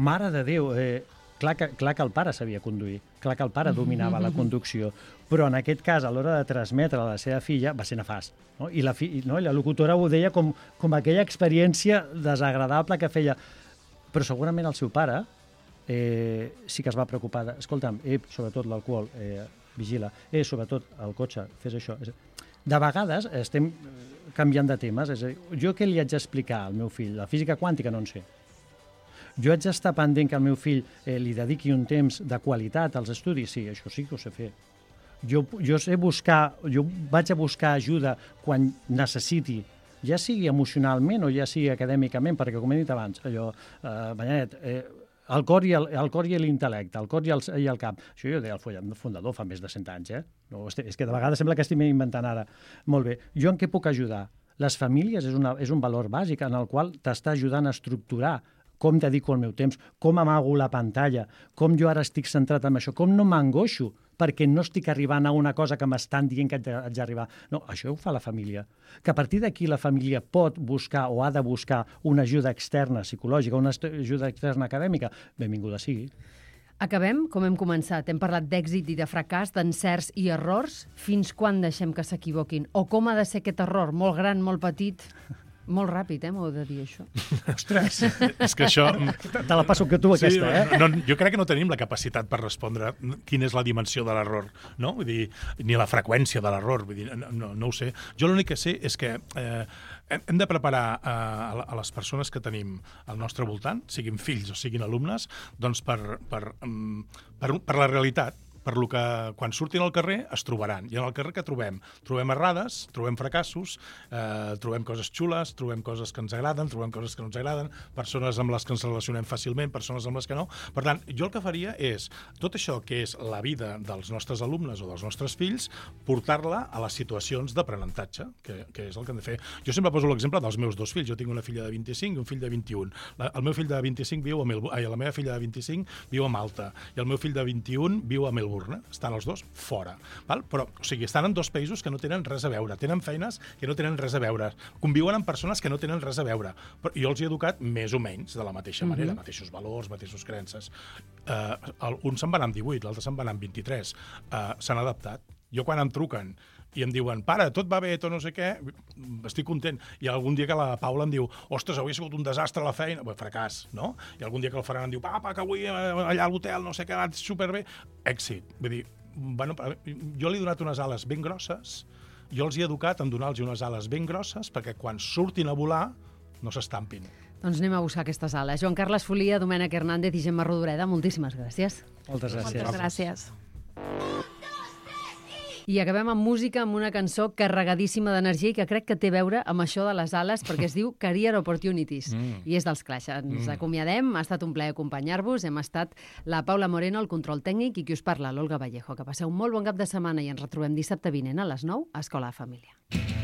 Mare de Déu, eh, Clar que, clar que el pare sabia conduir, clar que el pare dominava la conducció, però en aquest cas, a l'hora de transmetre a la seva filla, va ser nefast. No? I, la fi, no? I la locutora ho deia com, com aquella experiència desagradable que feia. Però segurament el seu pare eh, sí que es va preocupar. De, escolta'm, eh, sobretot l'alcohol, eh, vigila, eh, sobretot el cotxe, fes això. De vegades estem canviant de temes. És a dir, jo què li haig d'explicar al meu fill? La física quàntica no en sé. Jo haig d'estar pendent que el meu fill eh, li dediqui un temps de qualitat als estudis? Sí, això sí que ho sé fer. Jo, jo sé buscar, jo vaig a buscar ajuda quan necessiti, ja sigui emocionalment o ja sigui acadèmicament, perquè, com he dit abans, allò, eh, Manyanet, eh, el cor i el, el cor i l'intel·lecte, el cor i el, i el cap. Això jo deia el fundador fa més de cent anys, eh? No, és que de vegades sembla que estic inventant ara. Molt bé. Jo en què puc ajudar? Les famílies és, una, és un valor bàsic en el qual t'està ajudant a estructurar com dedico el meu temps, com amago la pantalla, com jo ara estic centrat en això, com no m'angoixo perquè no estic arribant a una cosa que m'estan dient que haig d'arribar. No, això ho fa la família. Que a partir d'aquí la família pot buscar o ha de buscar una ajuda externa psicològica, una ajuda externa acadèmica, benvinguda sigui. Acabem com hem començat. Hem parlat d'èxit i de fracàs, d'encerts i errors. Fins quan deixem que s'equivoquin? O com ha de ser aquest error? Molt gran, molt petit? Molt ràpid, eh, m'ho he de dir, això. Ostres! És que això... Te la passo que tu, aquesta, sí, eh? No, jo crec que no tenim la capacitat per respondre quina és la dimensió de l'error, no? Vull dir, ni la freqüència de l'error, vull dir, no, no ho sé. Jo l'únic que sé és que eh, hem de preparar eh, a les persones que tenim al nostre voltant, siguin fills o siguin alumnes, doncs per, per, per, per la realitat, per lo que quan surtin al carrer es trobaran. I en el carrer què trobem? Trobem errades, trobem fracassos, eh, trobem coses xules, trobem coses que ens agraden, trobem coses que no ens agraden, persones amb les que ens relacionem fàcilment, persones amb les que no. Per tant, jo el que faria és tot això que és la vida dels nostres alumnes o dels nostres fills, portar-la a les situacions d'aprenentatge, que, que és el que hem de fer. Jo sempre poso l'exemple dels meus dos fills. Jo tinc una filla de vint-i-cinc i un fill de vint-i-un. La, el meu fill de vint-i-cinc viu a Melbourne, ai, la meva filla de vint-i-cinc viu a Malta i el meu fill de vint-i-un viu a Melbourne. Estan els dos fora. Val? Però, o sigui, estan en dos països que no tenen res a veure. Tenen feines que no tenen res a veure. Conviuen amb persones que no tenen res a veure. Però jo els he educat més o menys de la mateixa manera, mm-hmm. mateixos valors, mateixos creences. Uh, un se'n va anar amb divuit, l'altre se'n va anar amb vint-i-tres. Uh, s'han adaptat. Jo quan em truquen i em diuen, pare, tot va bé, tot no sé què, estic content. I algun dia que la Paula em diu, ostres, avui ha sigut un desastre a la feina, bé, fracàs, no? I algun dia que el Ferran em diu, papa, que avui allà a l'hotel, no sé què, va superbé. Èxit. Vull dir, bueno, jo li he donat unes ales ben grosses, jo els he educat en donar-los unes ales ben grosses perquè quan surtin a volar no s'estampin. Doncs anem a buscar aquestes ales. Joan Carles Folia, Domènec Hernández i Gemma Rodoreda, moltíssimes gràcies. Moltes gràcies. Moltes gràcies. I acabem amb música, amb una cançó carregadíssima d'energia i que crec que té a veure amb això de les ales, perquè es diu Career Opportunities, mm. i és dels Clash. Ens mm. acomiadem, ha estat un plaer acompanyar-vos, hem estat la Paula Moreno, el control tècnic, i qui us parla, l'Olga Vallejo. Que passeu un molt bon cap de setmana i ens retrobem dissabte vinent a les nou a Escola de Família.